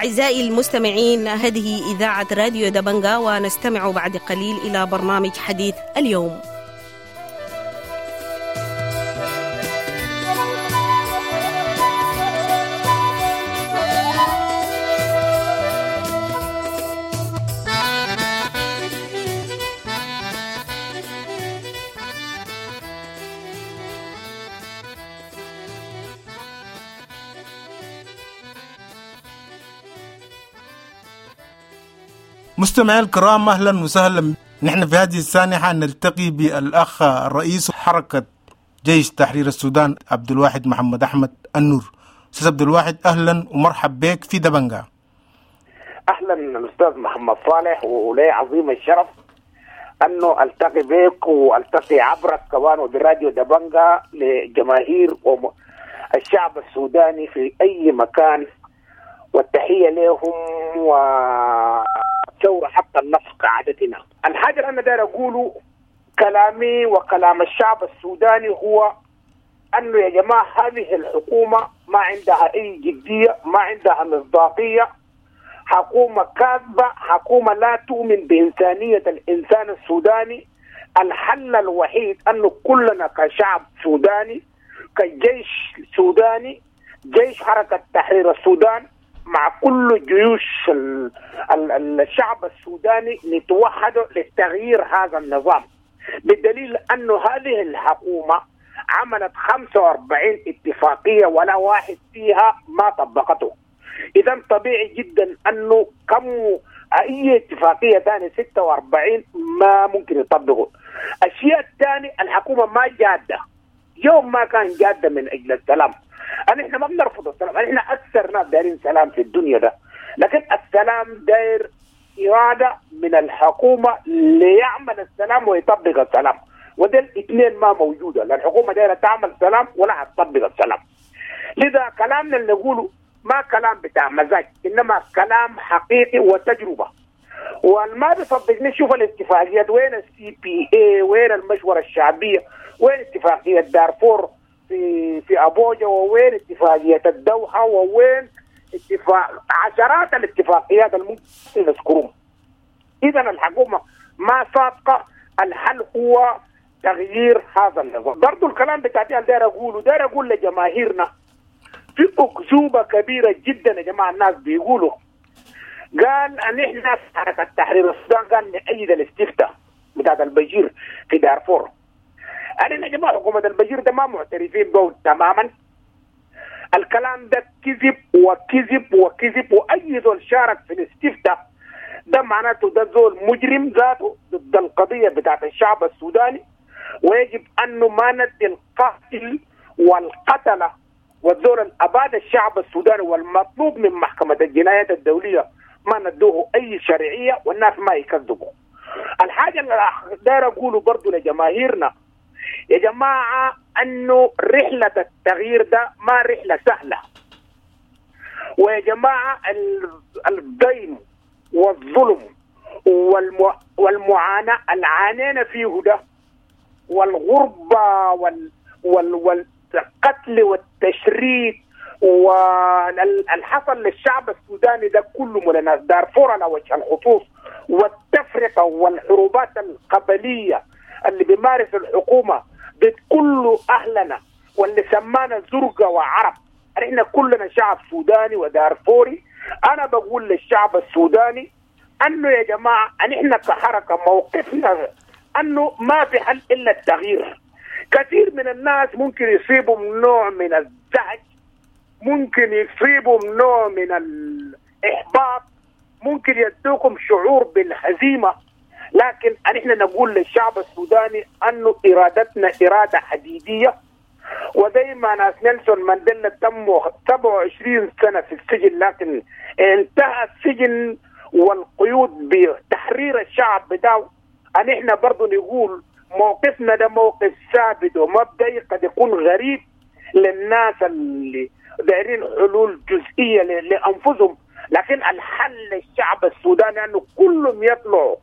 أعزائي المستمعين، هذه إذاعة راديو دبنجا، ونستمع بعد قليل إلى برنامج حديث اليوم. مستمعي الكرام، أهلا وسهلا. نحن في هذه السانحة نلتقي بالأخ الرئيس حركة جيش تحرير السودان عبد الواحد محمد أحمد النور. أستاذ عبد الواحد، أهلا ومرحب بك في دبنجا. أهلا الأستاذ محمد صالح، ولي عظيم الشرف أنه ألتقي بك وألتقي عبرك كمان وبراديو دبنجا لجماهير الشعب السوداني في أي مكان، والتحية لهم وثورة حتى النصر كعادتنا. الحاجة اللي أنا داير أقوله، كلامي وكلام الشعب السوداني هو أنه يا جماعة هذه الحكومة ما عندها أي جدية، ما عندها مصداقية، حكومة كاذبة، حكومة لا تؤمن بإنسانية الإنسان السوداني. الحل الوحيد أنه كلنا كشعب سوداني، كجيش سوداني، جيش حركة تحرير السودان مع كل جيوش الشعب السوداني، نتوحد لتغيير هذا النظام، بدليل أنه هذه الحكومة عملت 45 اتفاقية ولا واحد فيها ما طبقته. إذا طبيعي جدا أنه كم أي اتفاقية ثانية 46 ما ممكن يطبقوا. الشيء الثاني، الحكومة ما جادة، يوم ما كان جادة من أجل السلام. احنا ما بنرفض السلام، احنا اكثر ناس دايرين سلام في الدنيا ده، لكن السلام داير اراده من الحكومه ليعمل السلام ويطبق السلام، وده الاثنين ما موجوده، لا الحكومه دايره تعمل سلام ولا هتطبق السلام. لذا كلامنا اللي نقوله ما كلام بتاع مزاج، انما كلام حقيقي وتجربه. والما بيصدقني شوف الاتفاقيات، وين ال CPA، وين المشوره الشعبيه، وين اتفاقيه دارفور في أبوجا، ووين اتفاقية الدوحة، ووين اتفاق عشرات الاتفاقيات الممكن نذكرهم. إذا الحكومة ما صادقة، الحل هو تغيير هذا النظام. برضو الكلام بتاعتي أنا داير أقوله، داير أقول لجماهيرنا في أكذوبة كبيرة جدا يا جماعة. الناس بيقولوا قال أن إحنا في حركة تحرير السودان قال نأيد الاستفتاء بتاعت البشير في دارفور. أنا يا جماعة حكومة البشير ده ما معترفين به تماما. الكلام ده كذب وكذب وكذب، وأي زول شارك في الاستفتاء ده معناته ده زول مجرم ذاته ضد القضية بتاعت الشعب السوداني، ويجب أنه ما ندي القاتل والقتلة والزول الأباد الشعب السوداني والمطلوب من محكمة الجنايات الدولية ما ندوه أي شرعية، والناس ما يكذبوا. الحاجة اللي داير أقوله برضو لجماهيرنا يا جماعة، أنه رحلة التغيير ده ما رحلة سهلة، ويا جماعة الضيم والظلم والمعاناة اللي عانينا فيه ده، والغربة والقتل والتشريد والحصل للشعب السوداني ده كله من الناس دارفور على وجه الخصوص، والتفرقة والحروبات القبلية اللي بيمارس الحكومة ضد كل أهلنا واللي سمانا زرقة وعرب. احنا كلنا شعب سوداني ودارفوري. أنا بقول للشعب السوداني أنه يا جماعة احنا كحركة موقفنا أنه ما في حل إلا التغيير. كثير من الناس ممكن يصيبهم نوع من الزعج، ممكن يصيبهم نوع من الإحباط، ممكن يدوكم شعور بالهزيمة، لكن نحن نقول للشعب السوداني أنه إرادتنا إرادة حديدية. وزي ما ناس نيلسون مانديلا تموا 27 سنة في السجن، لكن انتهى السجن والقيود بتحرير الشعب بتاعه. نحن برضو نقول موقفنا ده موقف ثابت ومبدئي، قد يكون غريب للناس اللي دايرين حلول جزئية لأنفسهم، لكن الحل للشعب السوداني أنه كلهم يطلعوا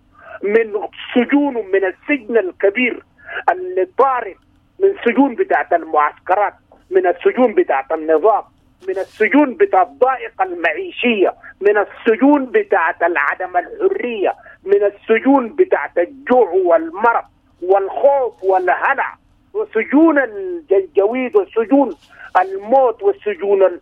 من سجونهم، من السجن الكبير اللي طارد، من سجون بتاعت المعسكرات، من السجون بتاعت النظام، من السجون بتاع الضائقة المعيشية، من السجون بتاعت عدم الحرية، من السجون بتاعت الجوع والمرض والخوف والهلع، وسجون الجنجويد وسجون الموت والسجون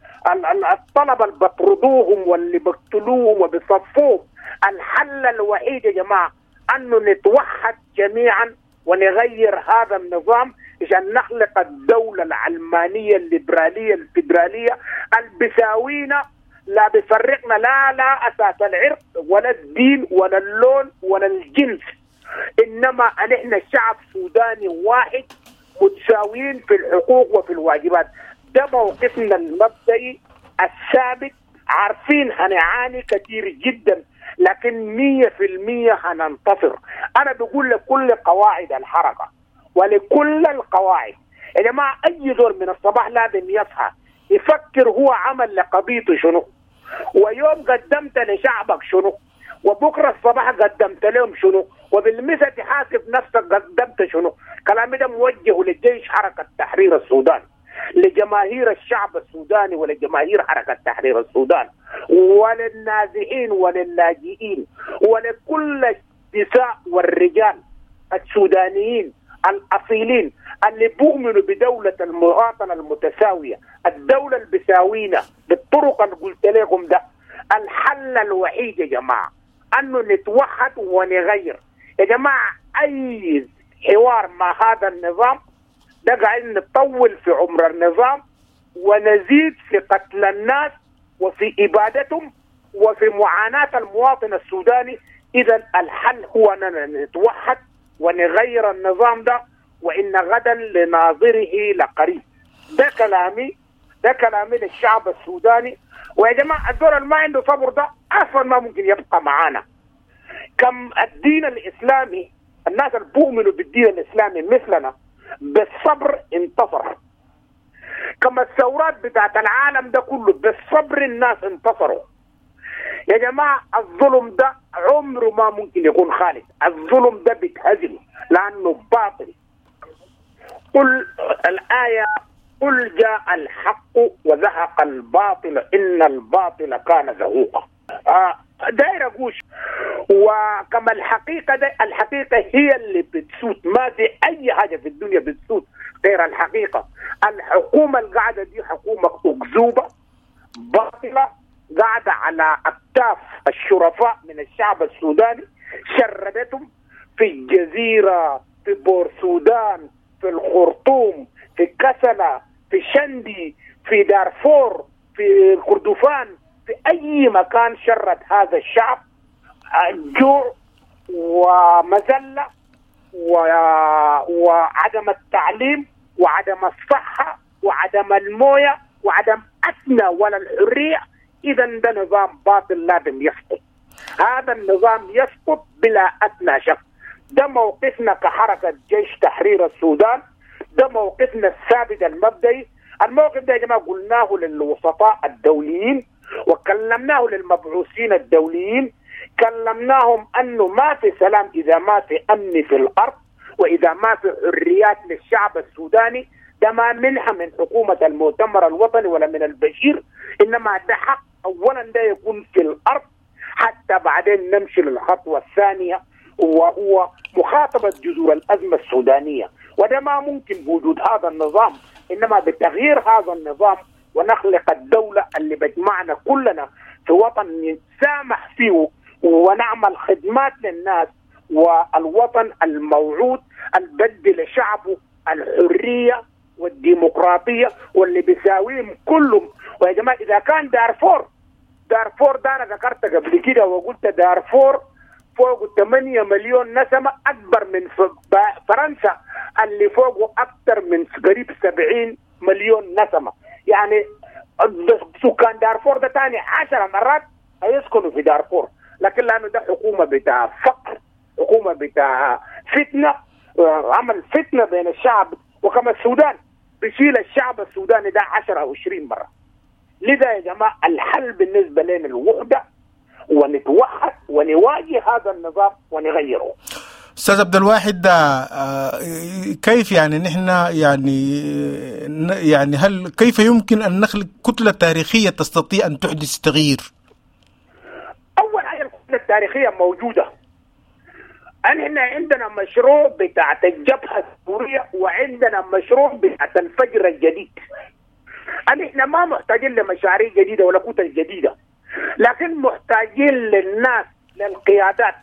الطلبة اللي بطردوهم واللي بقتلوهم وبيصفوهم. الحل الوحيد يا جماعة أنه نتوحد جميعا ونغير هذا النظام عشان نخلق الدولة العلمانية الليبرالية الفيدرالية البساوينا، لا بفرقنا لا أساس العرق ولا الدين ولا اللون ولا الجنس، إنما نحن شعب سوداني واحد متساويين في الحقوق وفي الواجبات. ده موقفنا المبدئي الثابت. عارفين هنعاني كثير جدا، لكن 100% هننتصر. أنا بقول لكل قواعد الحركة ولكل القواعد يا جماعة، أي دور من الصباح لازم يصحى يفكر هو عمل لقضيته شنو، ويوم قدمت لشعبك شنو، وبكرة الصباح قدمت لهم شنو، وبالمثل تحاسب نفسك قدمت شنو. كلامي ده موجه للجيش حركة تحرير السودان، لجماهير الشعب السوداني ولجماهير حركة تحرير السودان، وللنازحين وللاجئين، ولكل النساء والرجال السودانيين الأصيلين اللي بؤمنوا بدولة المواطنة المتساوية، الدولة اللي بساوينا بالطرق اللي قلت لكم ده. الحل الوحيد يا جماعة أنه نتوحد ونغير. يا جماعة أي حوار مع هذا النظام ده قاعدين نطول في عمر النظام ونزيد في قتل الناس وفي إبادتهم وفي معاناة المواطن السوداني. إذا الحل هو أننا نتوحد ونغير النظام ده، وإن غدا لناظره لقريب. ده كلامي، ده كلامي للشعب السوداني. ويا جماعة الدور اللي ما عنده صبر ده أصلا ما ممكن يبقى معانا. كم الدين الإسلامي، الناس اللي بيؤمنوا بالدين الإسلامي مثلنا بالصبر انتصر. كما الثورات بتاعت العالم ده كله بالصبر الناس انتصروا. يا جماعة الظلم ده عمره ما ممكن يكون خالد، الظلم ده بيتهزم لأنه باطل. قل الآية قل جاء الحق وزهق الباطل إن الباطل كان زهوقا. داير أقول وكما الحقيقة ده، الحقيقة هي اللي بتسود، ما في أي حاجة في الدنيا بتسود غير الحقيقة. الحكومة القاعدة دي حكومة أكذوبة باطلة قاعدة على أكتاف الشرفاء من الشعب السوداني، شردتهم في الجزيرة، في بور سودان، في الخرطوم، في كسلة، في شندي، في دارفور، في كردفان، في أي مكان شرد هذا الشعب جوع ومذلة وعدم التعليم وعدم الصحة وعدم الموية وعدم أدنى ولا الحرية. إذا ده نظام باطل لازم يسقط. هذا النظام يسقط بلا أدنى شك. ده موقفنا كحركة جيش تحرير السودان، ده موقفنا الثابت المبدئي. الموقف ده يا جماعة قلناه للوسطاء الدوليين وكلمناه للمبعوثين الدوليين، كلمناهم أنه ما في سلام إذا ما في أمن في الأرض وإذا ما في حريات للشعب السوداني. ده ما منحة من حكومة المؤتمر الوطني ولا من البشير، إنما ده حق أولا ده يكون في الأرض حتى بعدين نمشي للخطوة الثانية وهو مخاطبة جذور الأزمة السودانية. وده ما ممكن بوجود هذا النظام، إنما بتغيير هذا النظام ونخلق الدولة اللي بجمعنا كلنا في وطن نتسامح فيه ونعمل خدمات للناس، والوطن الموعود البدي لشعبه الحرية والديمقراطية واللي بيساويهم كلهم. ويا جماعة إذا كان دارفور، دارفور ده أنا ذكرت قبل كده وقلت دارفور فوق 8 مليون نسمة، أكبر من فرنسا اللي فوقه أكثر من قريب 70 مليون نسمة. يعني سكان دارفور ده تاني 10 مرات هيسكنوا في دارفور، لكن لأنه ده حكومة بتاع فقر، حكومة بتاع فتنة، عمل فتنة بين الشعب. وكما السودان بيشيل الشعب السوداني ده 10 أو 20 مرة. لذا يا جماعة الحل بالنسبة لنا الوحدة، ونتوحد ونواجه هذا النظام ونغيره. أستاذ عبد الواحد، كيف يعني نحن يعني هل كيف يمكن أن نخلق كتلة تاريخية تستطيع أن تحدث تغيير؟ أول حاجة الكتلة التاريخية موجودة. نحن عندنا مشروع بتاعت الجبهة السورية وعندنا مشروع بتاعت الفجر الجديد. نحن ما محتاجين لمشاريع جديدة ولا كتل جديدة، لكن محتاجين للناس، للقيادات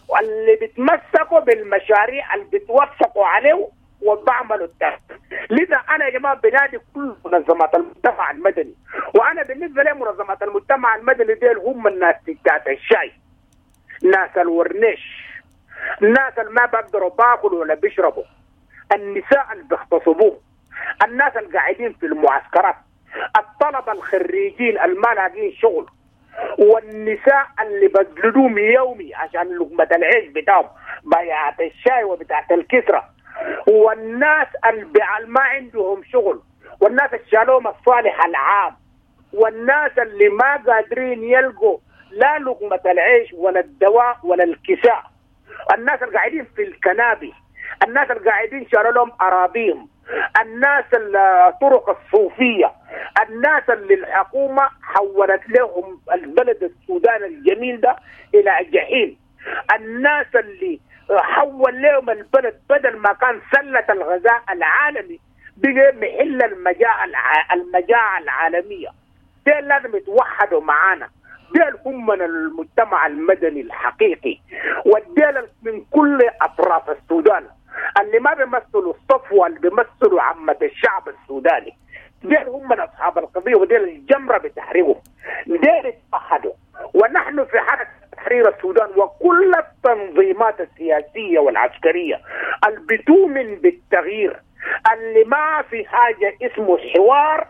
واللي بيتمسكوا بالمشاريع اللي بيتوفقوا عليه وبعملوا التغيير. لذا انا يا جماعة بنادي كل منظمات المجتمع المدني، وانا بالنسبة لي منظمات المجتمع المدني ديل هم الناس بتاعت الشاي، ناس الورنيش، الناس اللي ما بيقدروا باكلوا ولا بيشربوا، النساء اللي بيغتصبوهم، الناس اللي قاعدين في المعسكرات، الطلبة الخريجين اللي ما لاقين شغل، والنساء اللي بجلدوهم يومي عشان لقمة العيش بتاعهم، بيعة الشاي وبتاعة الكسرة، والناس اللي ما عندهم شغل، والناس اللي شالوهم الصالح العام، والناس اللي ما قادرين يلقوا لا لقمة العيش ولا الدواء ولا الكساء، الناس اللي قاعدين في الكنابي، الناس اللي قاعدين شالوا لهم أراضيهم، الناس الطرق الصوفية، الناس اللي الحكومة حولت لهم البلد السودان الجميل ده إلى جحيم، الناس اللي حول لهم البلد بدل ما كان سلة الغذاء العالمي بقى محل المجاعة العالمية. دول لازم يتوحدوا معانا، دول هم من المجتمع المدني الحقيقي، والدول من كل أطراف السودان اللي ما بيمثلوا الصفوة، اللي بيمثلوا عامة الشعب السوداني، دول هم من أصحاب القضية، ودول الجمرة بتحريرهم، دول اتوحدوا. ونحن في حركة تحرير السودان وكل التنظيمات السياسية والعسكرية اللي بتؤمن بالتغيير، اللي ما في حاجة اسمه حوار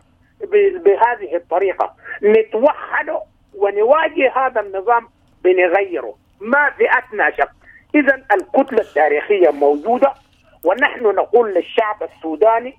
بهذه الطريقة، نتوحد ونواجه هذا النظام بنغيره، ما في أدنى شك. إذن الكتلة التاريخية موجودة، ونحن نقول للشعب السوداني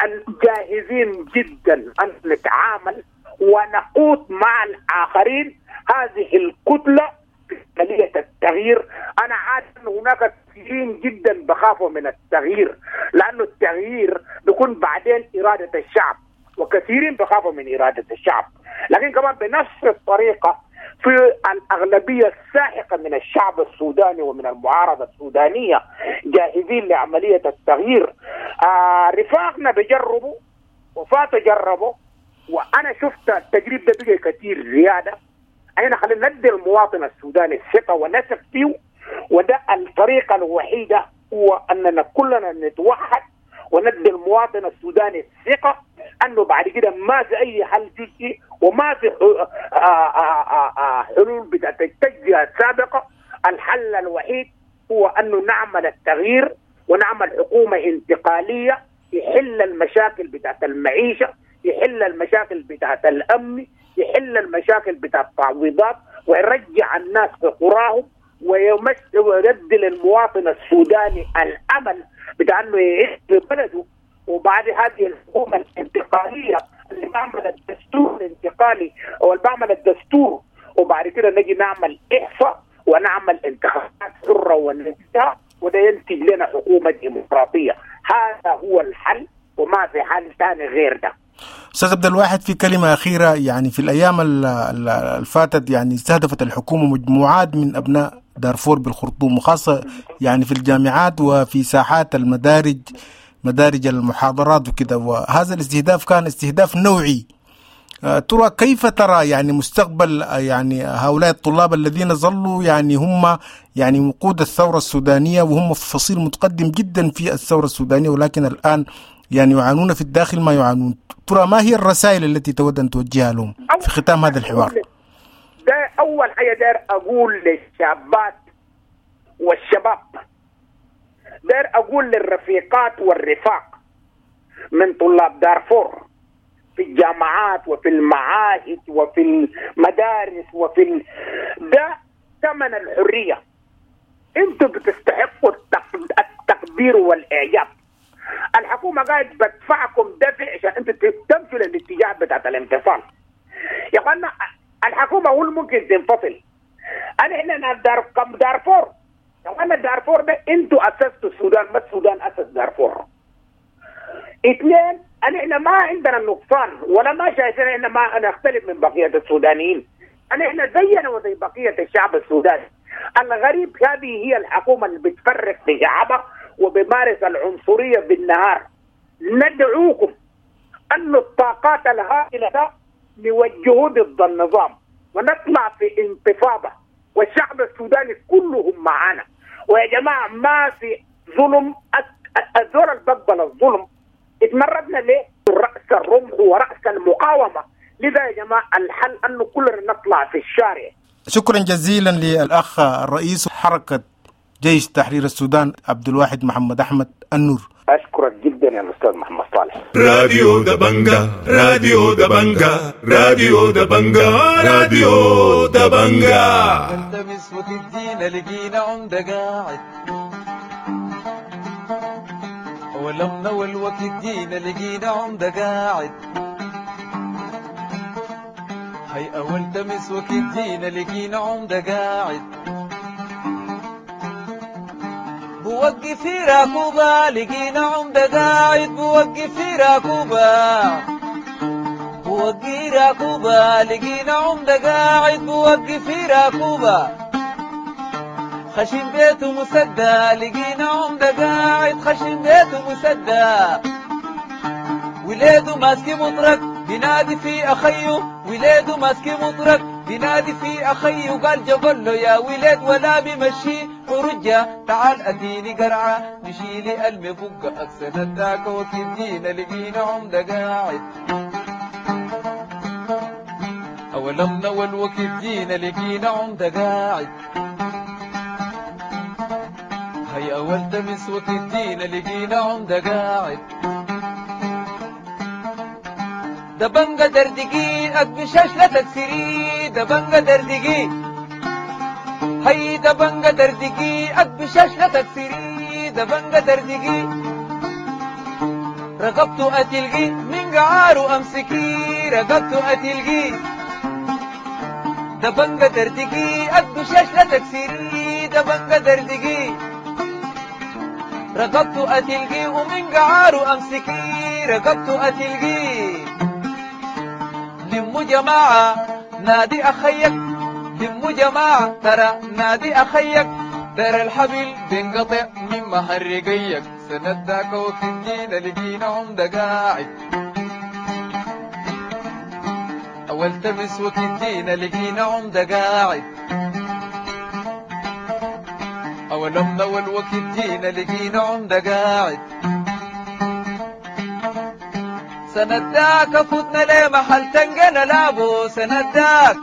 أن جاهزين جدا أن نتعامل ونقود مع الآخرين هذه الكتلة في عملية التغيير. أنا عارف أن هناك كثيرين جدا بخافوا من التغيير، لأنه التغيير بيكون بعدين إرادة الشعب، وكثيرين بخافوا من إرادة الشعب، لكن كمان بنفس الطريقة في الأغلبية الساحقة من الشعب السوداني ومن المعارضة السودانية جاهزين لعملية التغيير. رفاقنا بيجربوا وفاتوا جربوا، وأنا شفت التجريب ده بقى كثير زيادة. أنا خلينا ندي المواطن السوداني الثقة ونثق فيه، وده الطريقة الوحيدة، هو أننا كلنا نتوحد وندي المواطن السوداني الثقة أنه بعد كده ما في أي حل جزئي وما في حلول بتاعت التجزئة السابقة. الحل الوحيد هو أنه نعمل التغيير ونعمل حكومة انتقالية يحل المشاكل بتاعت المعيشة، يحل المشاكل بتاعت الأمن، يحل المشاكل بتاعت التعويضات، ويرجع الناس في قراهم، ويدي للمواطن السوداني الأمل بتاع أنه يعيش في بلده. وبعد هذه الحكومة الانتقالية اللي بعمل الدستور الانتقالي أو اللي بعمل الدستور، وبعد كده نجي نعمل إحصاء ونعمل انتخابات حرة ونزيهة، وده ينتج لنا حكومة ديمقراطية. هذا هو الحل وما في حل ثاني غير ده. أستاذ عبد الواحد، في كلمة أخيرة، يعني في الأيام الفاتت يعني استهدفت الحكومة مجموعات من أبناء دارفور بالخرطوم، وخاصة يعني في الجامعات وفي ساحات المدارج، مدارج المحاضرات وكذا، وهذا الاستهداف كان استهداف نوعي. ترى كيف ترى يعني مستقبل يعني هؤلاء الطلاب الذين ظلوا يعني هم يعني وقود الثورة السودانية، وهم في فصيل متقدم جدا في الثورة السودانية، ولكن الآن يعني يعانون في الداخل ما يعانون؟ ترى ما هي الرسائل التي تود أن توجهها لهم في ختام هذا الحوار؟ ده أول حاجة داير أقول للشابات والشباب، داير أقول للرفيقات والرفاق من طلاب دارفور في الجامعات وفي المعاهد وفي المدارس وفي ده ثمن الحرية. انتوا بتستحقوا التقدير والإعجاب. الحكومة قاعد بدفعكم دفع عشان انتوا تمشوا للاتجاه بتاعت الانفصال. يا اخوانا الحكومة هو ممكن تنفصل. انا احنا دارفور وانا دارفور ده انتوا اسستوا السودان، ما السودان اسس دارفور. اثنين، احنا ما عندنا نقصان ولا ما شايفين احنا ما نختلف من بقية السودانيين، احنا زينا وزي بقية الشعب السوداني. الغريب هذه هي الحكومة اللي بتفرق في شعبها وبمارس العنصرية بالنهار. ندعوكم أن الطاقات الهائلة ده نوجهه ضد النظام ونطلع في انتفاضة، والشعب السوداني كلهم معانا. ويا جماعة ما في ظلم، الزول اللي بقبل الظلم اتمردنا ليه؟ رأس الرمح ورأس المقاومة. لذا يا جماعة الحل أنه كلنا نطلع في الشارع. شكرا جزيلا للأخ الرئيس حركة جيش تحرير السودان عبد الواحد محمد أحمد النور. أشكرك جدا يا الأستاذ محمد صالح. راديو دبنجا، راديو دبنجا، راديو دبنجا، راديو دبنجا. نلتمس وتدينا لقينا عمدة قاعد، ولمنا والوقت جينا لقينا عمدة قاعد. هي أول تمس وقت جينا لقينا عمدة قاعد، بوقف في راكوبة لقينا عمدة قاعد، بوقف في راكوبة، بوقف راكوبة لقينا عمدة قاعد، بوقف في راكوبة. خشم بيته مسدى لقينا عمدة قاعد، خشم بيته مسدى. وليده ماسك مطرق بينادي في أخيه، وليده ماسك مطرق بينادي في أخيه، قال جبل له يا ولد ولا بمشي ورجة، تعال أديني قرعة نشيلي المبقى أكسن الداك وكدينا لقينا عمدة قاعد. أولمنا والوقت جينا لقينا عمدة قاعد، هي أول تمس وكدينا لقينا عمدة قاعد. دبنجة دردقي أكبشاش لا تكسري، دبنجة دردقي، هي دبنجة دردقي أكبشاش لا تكسري، دبنجة دردقي. رقبته أتلقي من قعاره أمسكي، رقبته أتلقي. دبنجة دردقي أكبشاش لا تكسري، دبنجة دردقي. رقبته أتلقي ومن قعاره أمسكي، رقبته أتلقي. لمو جماعة نادي أخيك، لمو جماعة ترى نادي أخيك، ترى الحبل بينقطع من مهرقيك. سنداك وكدينا لقينا عمدة قاعد، أول تمس وكدينا لقينا عمدة قاعد. أولمنا والوقت جينا لقينا عمدة قاعد. سنداك فتنا ليه محل تنقل لابو، سنداك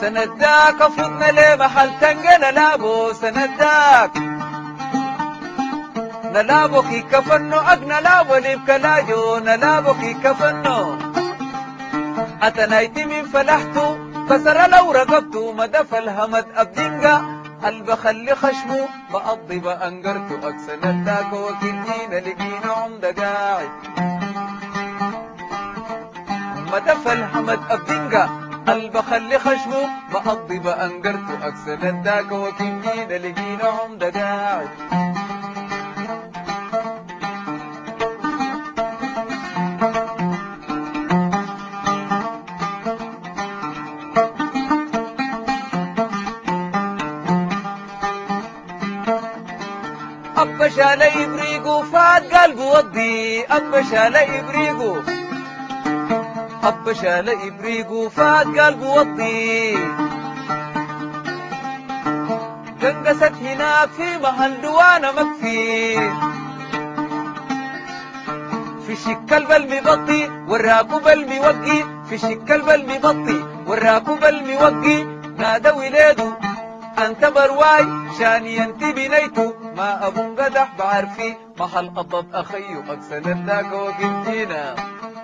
سنداك فتنا ليه محل تنقل لابو، سنداك نلابو كي كفنو أقنا لابو لبكلاجو، نلابو كي كفنو أتنايتي من فلحتو كسر لو رقبتو، مدف الهمد أبدنقا قلب خلي خشمو بقضي بأنقرتو. أكسن الداك وكدينا لقينا عمدة قاعد، مدف الحمد أبدنقا قلب خلي خشمو بقضي بأنقرتو. أكسن الداك وكدينا لقينا عمدة قاعد. أبا شال إبريقو فات قلبه وضي، أبا شال إبريقو، أبا شال إبريقو فات قلبه وضي. قنقست هناك في محل دوانا مكفي، في شكل المبطي والراكب الموقي، في شكل المبطي والراكب الموقي. نادى ولادو أنت برواي شاني أنت بنيتو، ما أبو قدح بعرفي محل قطط أخيو. أكسن الداك وكنتينا.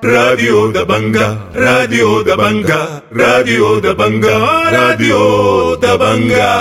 راديو دبنجا، راديو دبنجا، راديو دبنجا، راديو دبنجا.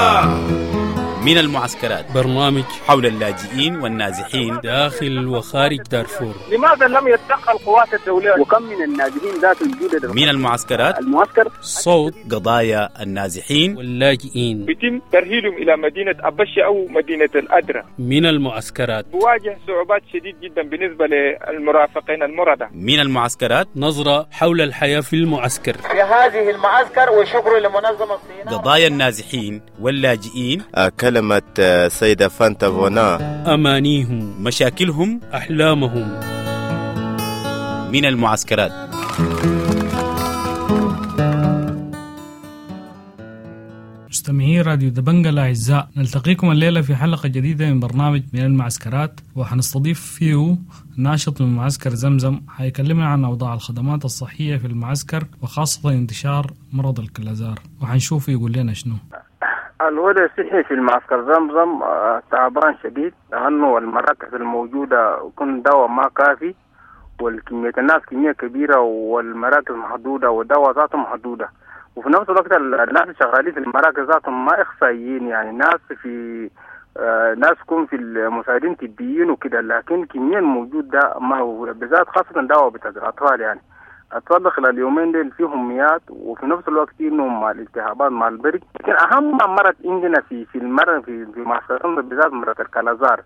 من المعسكرات، برنامج حول اللاجئين والنازحين داخل وخارج دارفور. لماذا لم يتدخل القوات الدولية؟ وكم من النازحين ذات الجدد من المعسكرات، المعسكر صوت قضايا النازحين واللاجئين. بيتم ترحيلهم إلى مدينة أبشة أو مدينة الأدرة. من المعسكرات بواجه صعوبات شديد جدا بالنسبة للمرافقين المرضى. من المعسكرات، نظرة حول الحياة في المعسكر، في هذه المعسكر، وشكر لمنظمة الصين. قضايا النازحين واللاجئين، كلمة سيدة فانتا فونا، أمانيهم، مشاكلهم، أحلامهم. من المعسكرات. مستمعي راديو دبنجا الأعزاء، نلتقيكم الليلة في حلقة جديدة من برنامج من المعسكرات، وحنستضيف فيه ناشط من معسكر زمزم حيكلمنا عن أوضاع الخدمات الصحية في المعسكر وخاصة انتشار مرض الكلازار، وحنشوف يقول لنا شنو. الوضع الصحي في المعسكر زمزم تعبان شديد، لأنه المراكز الموجودة يكون دواء ما كافي، والكمية الناس كمية كبيرة، والمراكز محدودة، والدواء ذاته محدودة. وفي نفس الوقت الناس شغالين في المراكز ذاتهم ما إخصائيين، يعني ناس في ناس يكون في المساعدين طبيين وكده، لكن الكمية الموجودة ما هو بالذات خاصة دواء بتاع الأطفال. يعني أطفال خلال اليومين دول فيهم ميات، وفي نفس الوقت إنهم مع الالتهابات مع البرد. لكن أهم مرض عندنا في المرض في معسكر بالذات مرض الكلازار.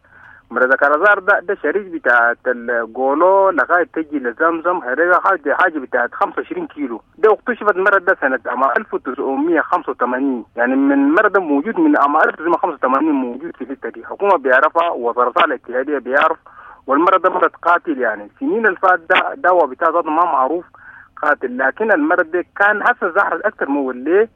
مرض الكلازار ده شريك بتاعت الجولو لغاية تجي لزمزم، هذا حاجة بتاعت 25 كيلو. ده اكتشفت المرض ده سنة عام 1985، يعني من المرض ده موجود من عام 1985 موجود في الحتة دي، حكومة بيعرفها ووزارة الاتحادية بيعرف. والمرض ده مرض قاتل، يعني سنين الفات ده دواء بتاع ذاته ما معروف قاتل، لكن المرض ده كان هسه ظهر أكثر من ليه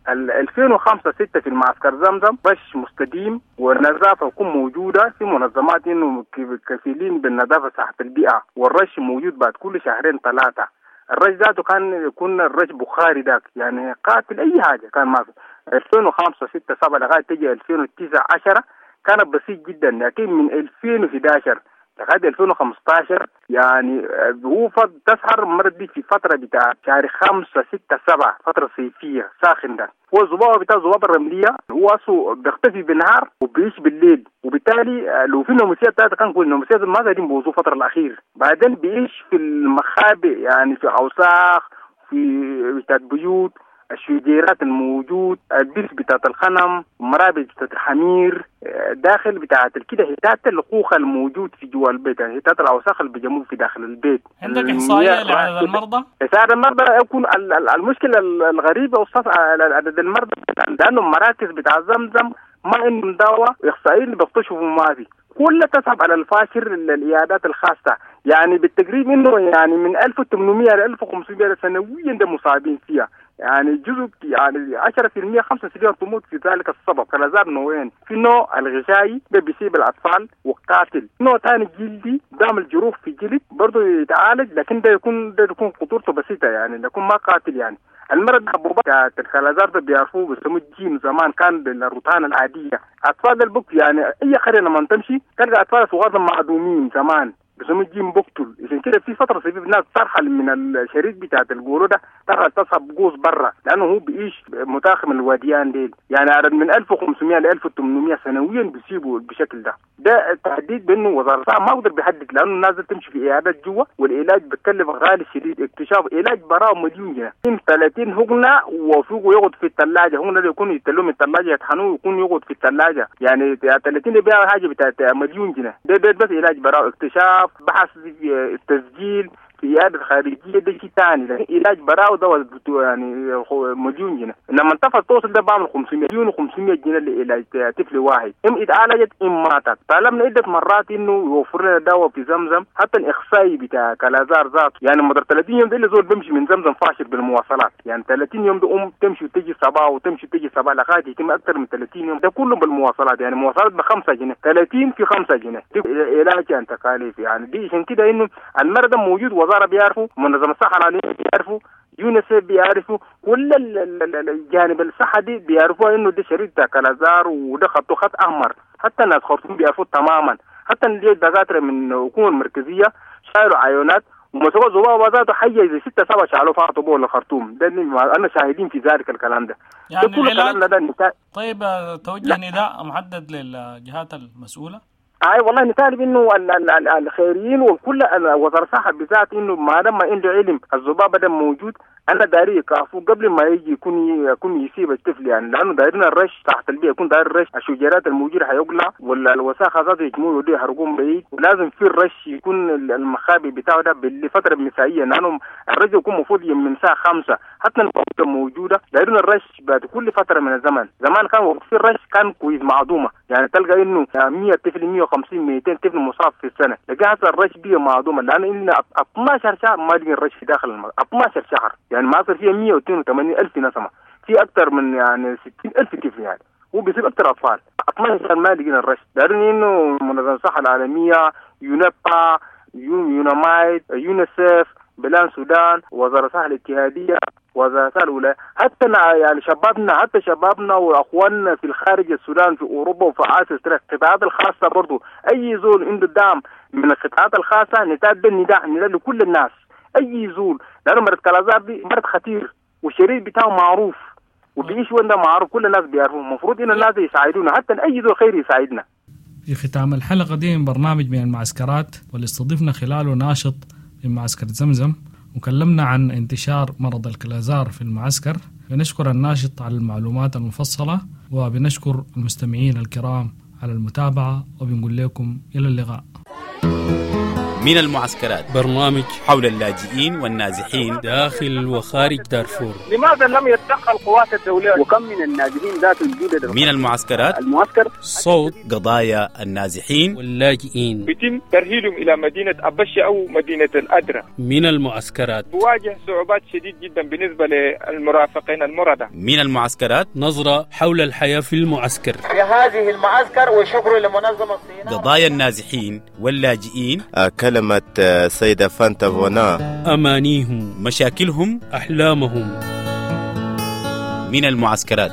2005 6 في المعسكر زمزم بش مستديم، والنظافة تكون موجودة في منظمات إنه كفيلين بالنظافة صحة البيئة، والرش موجود بعد كل شهرين ثلاثة. الرش ذاته كان يكون الرش بخاري ذاك، يعني قاتل أي حاجة كان ما في. 2005 6 7 لغاية تجي 2009 10 كان بسيط جدا، لكن من 2011 لغاية 2015 يعني هو تسهر المرض دي في فترة بتاع شهر 5 6 7، فترة صيفية ساخن ده. هو الذبابة بتاع الذبابة الرملية هو أصله بيختفي بالنهار وبيعيش بالليل، وبالتالي لو في ناموسية بتاعته كان كل الناموسيات ما قاعدين بوظوه الفترة الأخير. بعدين بيعيش في المخابئ، يعني في أوساخ، في بتاعت بيوت، الشجيرات الموجود، البيت بتاعت الخنم، مرابط بتاعت الحمير، داخل بتاعت كده هتات الخوخة الموجود في جوا البيت، يعني هتات الأوساخ اللي بيجموه في داخل البيت. عندك إحصائية لعدد المرضى؟ عدد المرضى يكون المشكلة الغريبة أستاذ عدد المرضى، لأنه المراكز بتاع زمزم ما عندهم دواء، إحصائيين اللي بيكتشفوا ما في، كلها تسحب على الفاشر العيادات الخاصة. يعني بالتقريب إنه يعني من 1800 ل 1500 سنويا ده مصابين فيها، يعني جزء يعني 10% 5% تموت في ذلك السبب. كلازار نوعين، في نوع الغشائي ده بيصيب الأطفال وقاتل، نوع ثاني جلدي بيعمل جروح في الجلد برضه يتعالج، لكن ده يكون خطورته بسيطة، يعني يكون ما قاتل. يعني المرض حبوبات الكلازار ده بيعرفوه بيسموه الجيم، زمان كان بالروتان العادية. أطفال البك يعني أي قرية لما تمشي تلقى أطفال صغار معدومين زمان بيسموه الجيم بقتل. عشان كده في فترة صيفية الناس ترحل من الشريك بتاعت الجولو ده، ترحل تصحب جوز برا، لأنه هو بيعيش متاخم الواديان ديل. يعني عدد من 1500 ل 1800 سنويا بيسيبوا بالشكل ده. ده تهديد بانه وزارة الصحة ما اقدر بيحدد، لأنه الناس تمشي في عيادات جوا، والعلاج بتكلف غالي شديد. اكتشاف علاج براه مليون جنيه، 30 هجنة وفوقه يقعد في الثلاجة، هجنة يكون يتلوه من الثلاجة يطحنوه ويكون يقعد في الثلاجة، يعني 30 بيع حاجة بتاعت مليون جنيه. ده بس علاج براه، اكتشاف، بحث، التسجيل في عيادة خارجية ده شيء ثاني، لكن علاج براو ده يعني مليون جنيه. لما انتفض توصل ده بعمل 500 مليون و500 جنيه لعلاج طفل واحد، ام اتعالجت ام ماتت. طالبنا عدة مرات انه يوفر لنا دواء في زمزم، حتى الاخصائي بتاع كلازار ذاته، يعني مدار 30 يوم ده اللي زول بيمشي من زمزم فاشل بالمواصلات، يعني 30 يوم ده ام تمشي وتجي صباح وتمشي وتجي صباح لغاية يتم اكثر من 30 يوم ده كله بالمواصلات، يعني مواصلات ب 5 جنيه، 30 في 5 جنيه دي علاج يعني تكاليف. يعني دي عشان كده انه المرض موجود، وزارة بيعرفوا، منظمة الصحة العالمية بيعرفوا، يونيسف بيعرفوا، كل الجانب الصحة دي بيعرفوا انه ده شريط بتاع كلازار وده خطه خط احمر. حتى الناس خرطوم بيعرفوا تماما، حتى الدكاترة من الحكومة المركزية شايلوا عيونات ومسكوا الذبابة ذاته حيه زي 6 7 شالوه فاطوا بول الخرطوم. ده انا شاهدين في ذلك الكلام ده. يعني ده كل الكلام ده. طيب توجه نداء محدد للجهات المسؤولة؟ اي والله نطالب انه الخيريين وكل وزارة الصحة بالذات انه ما دام عنده علم الذبابة ده موجود، انا داري يكافوه قبل ما يجي يكون يصيب الطفل يعني، لانه دايرين الرش تحت البيئة، يكون داير الرش الشجيرات الموجودة حيقلع ولا الوساخه ذاته يجمعوا يودوا يحرقوهم بعيد، ولازم في الرش يكون المخابئ بتاعه ده بالفترة المسائيه، لانه الرش يكون المفروض من الساعة 5 حتى الموجودة موجودة. دايرين الرش بعد كل فترة من الزمن، زمان كان في الرش كان كويس معدومة، يعني تلقى انه 100 طفل 150 200 طفل مصاب في السنة، لكن هسه الرش بيه معدومة، لانه إن 12 شهر ما لقي الرش في داخل 12 شهر، يعني ما صار فيها 182 ألف نسمة، في أكثر من يعني 60 ألف طفل يعني، وبيصير أكثر أطفال. 12 شهر ما لقينا الرش. دارين إنه منظمة الصحة العالمية، يونبا، يونامايد، يونيسف، بلان سودان، وزارة الصحة الاتحادية، وزارة الولاية، حتى يعني شبابنا، حتى شبابنا واخواننا في الخارج السودان في اوروبا وفي اسيا، القطاعات الخاصة برضو، اي زول عنده دعم من القطاعات الخاصة نتابع النداء لكل الناس، اي زول، لانه مرض كلازار دي مرض خطير والشريط بتاعه معروف وبيعيش وين ده معروف، كل الناس بيعرفوه، المفروض ان الناس يساعدونا، حتى اي زول خير يساعدنا. في ختام الحلقة دي من برنامج من المعسكرات، واللي استضفنا خلاله ناشط من معسكر زمزم وكلمنا عن انتشار مرض الكلازار في المعسكر. بنشكر الناشط على المعلومات المفصلة، وبنشكر المستمعين الكرام على المتابعة، وبنقول لكم إلى اللقاء. من المعسكرات، برنامج حول اللاجئين والنازحين داخل وخارج دارفور. لماذا لم يتدخل القوات الدولية؟ وكم من النازحين ذات الجدد من المعسكرات، المعسكر صوت قضايا النازحين واللاجئين، بيتم ترهيلهم إلى مدينة أبشة أو مدينة الأدرة. من المعسكرات بواجه صعوبات شديد جدا بالنسبة للمرافقين المرضى. من المعسكرات، نظرة حول الحياة في المعسكر في هذه المعسكر، وشكر لمنظمة الصينية. قضايا النازحين واللاجئين، كلمة السيدة فانتا فونا، أمانيهم، مشاكلهم، أحلامهم. من المعسكرات.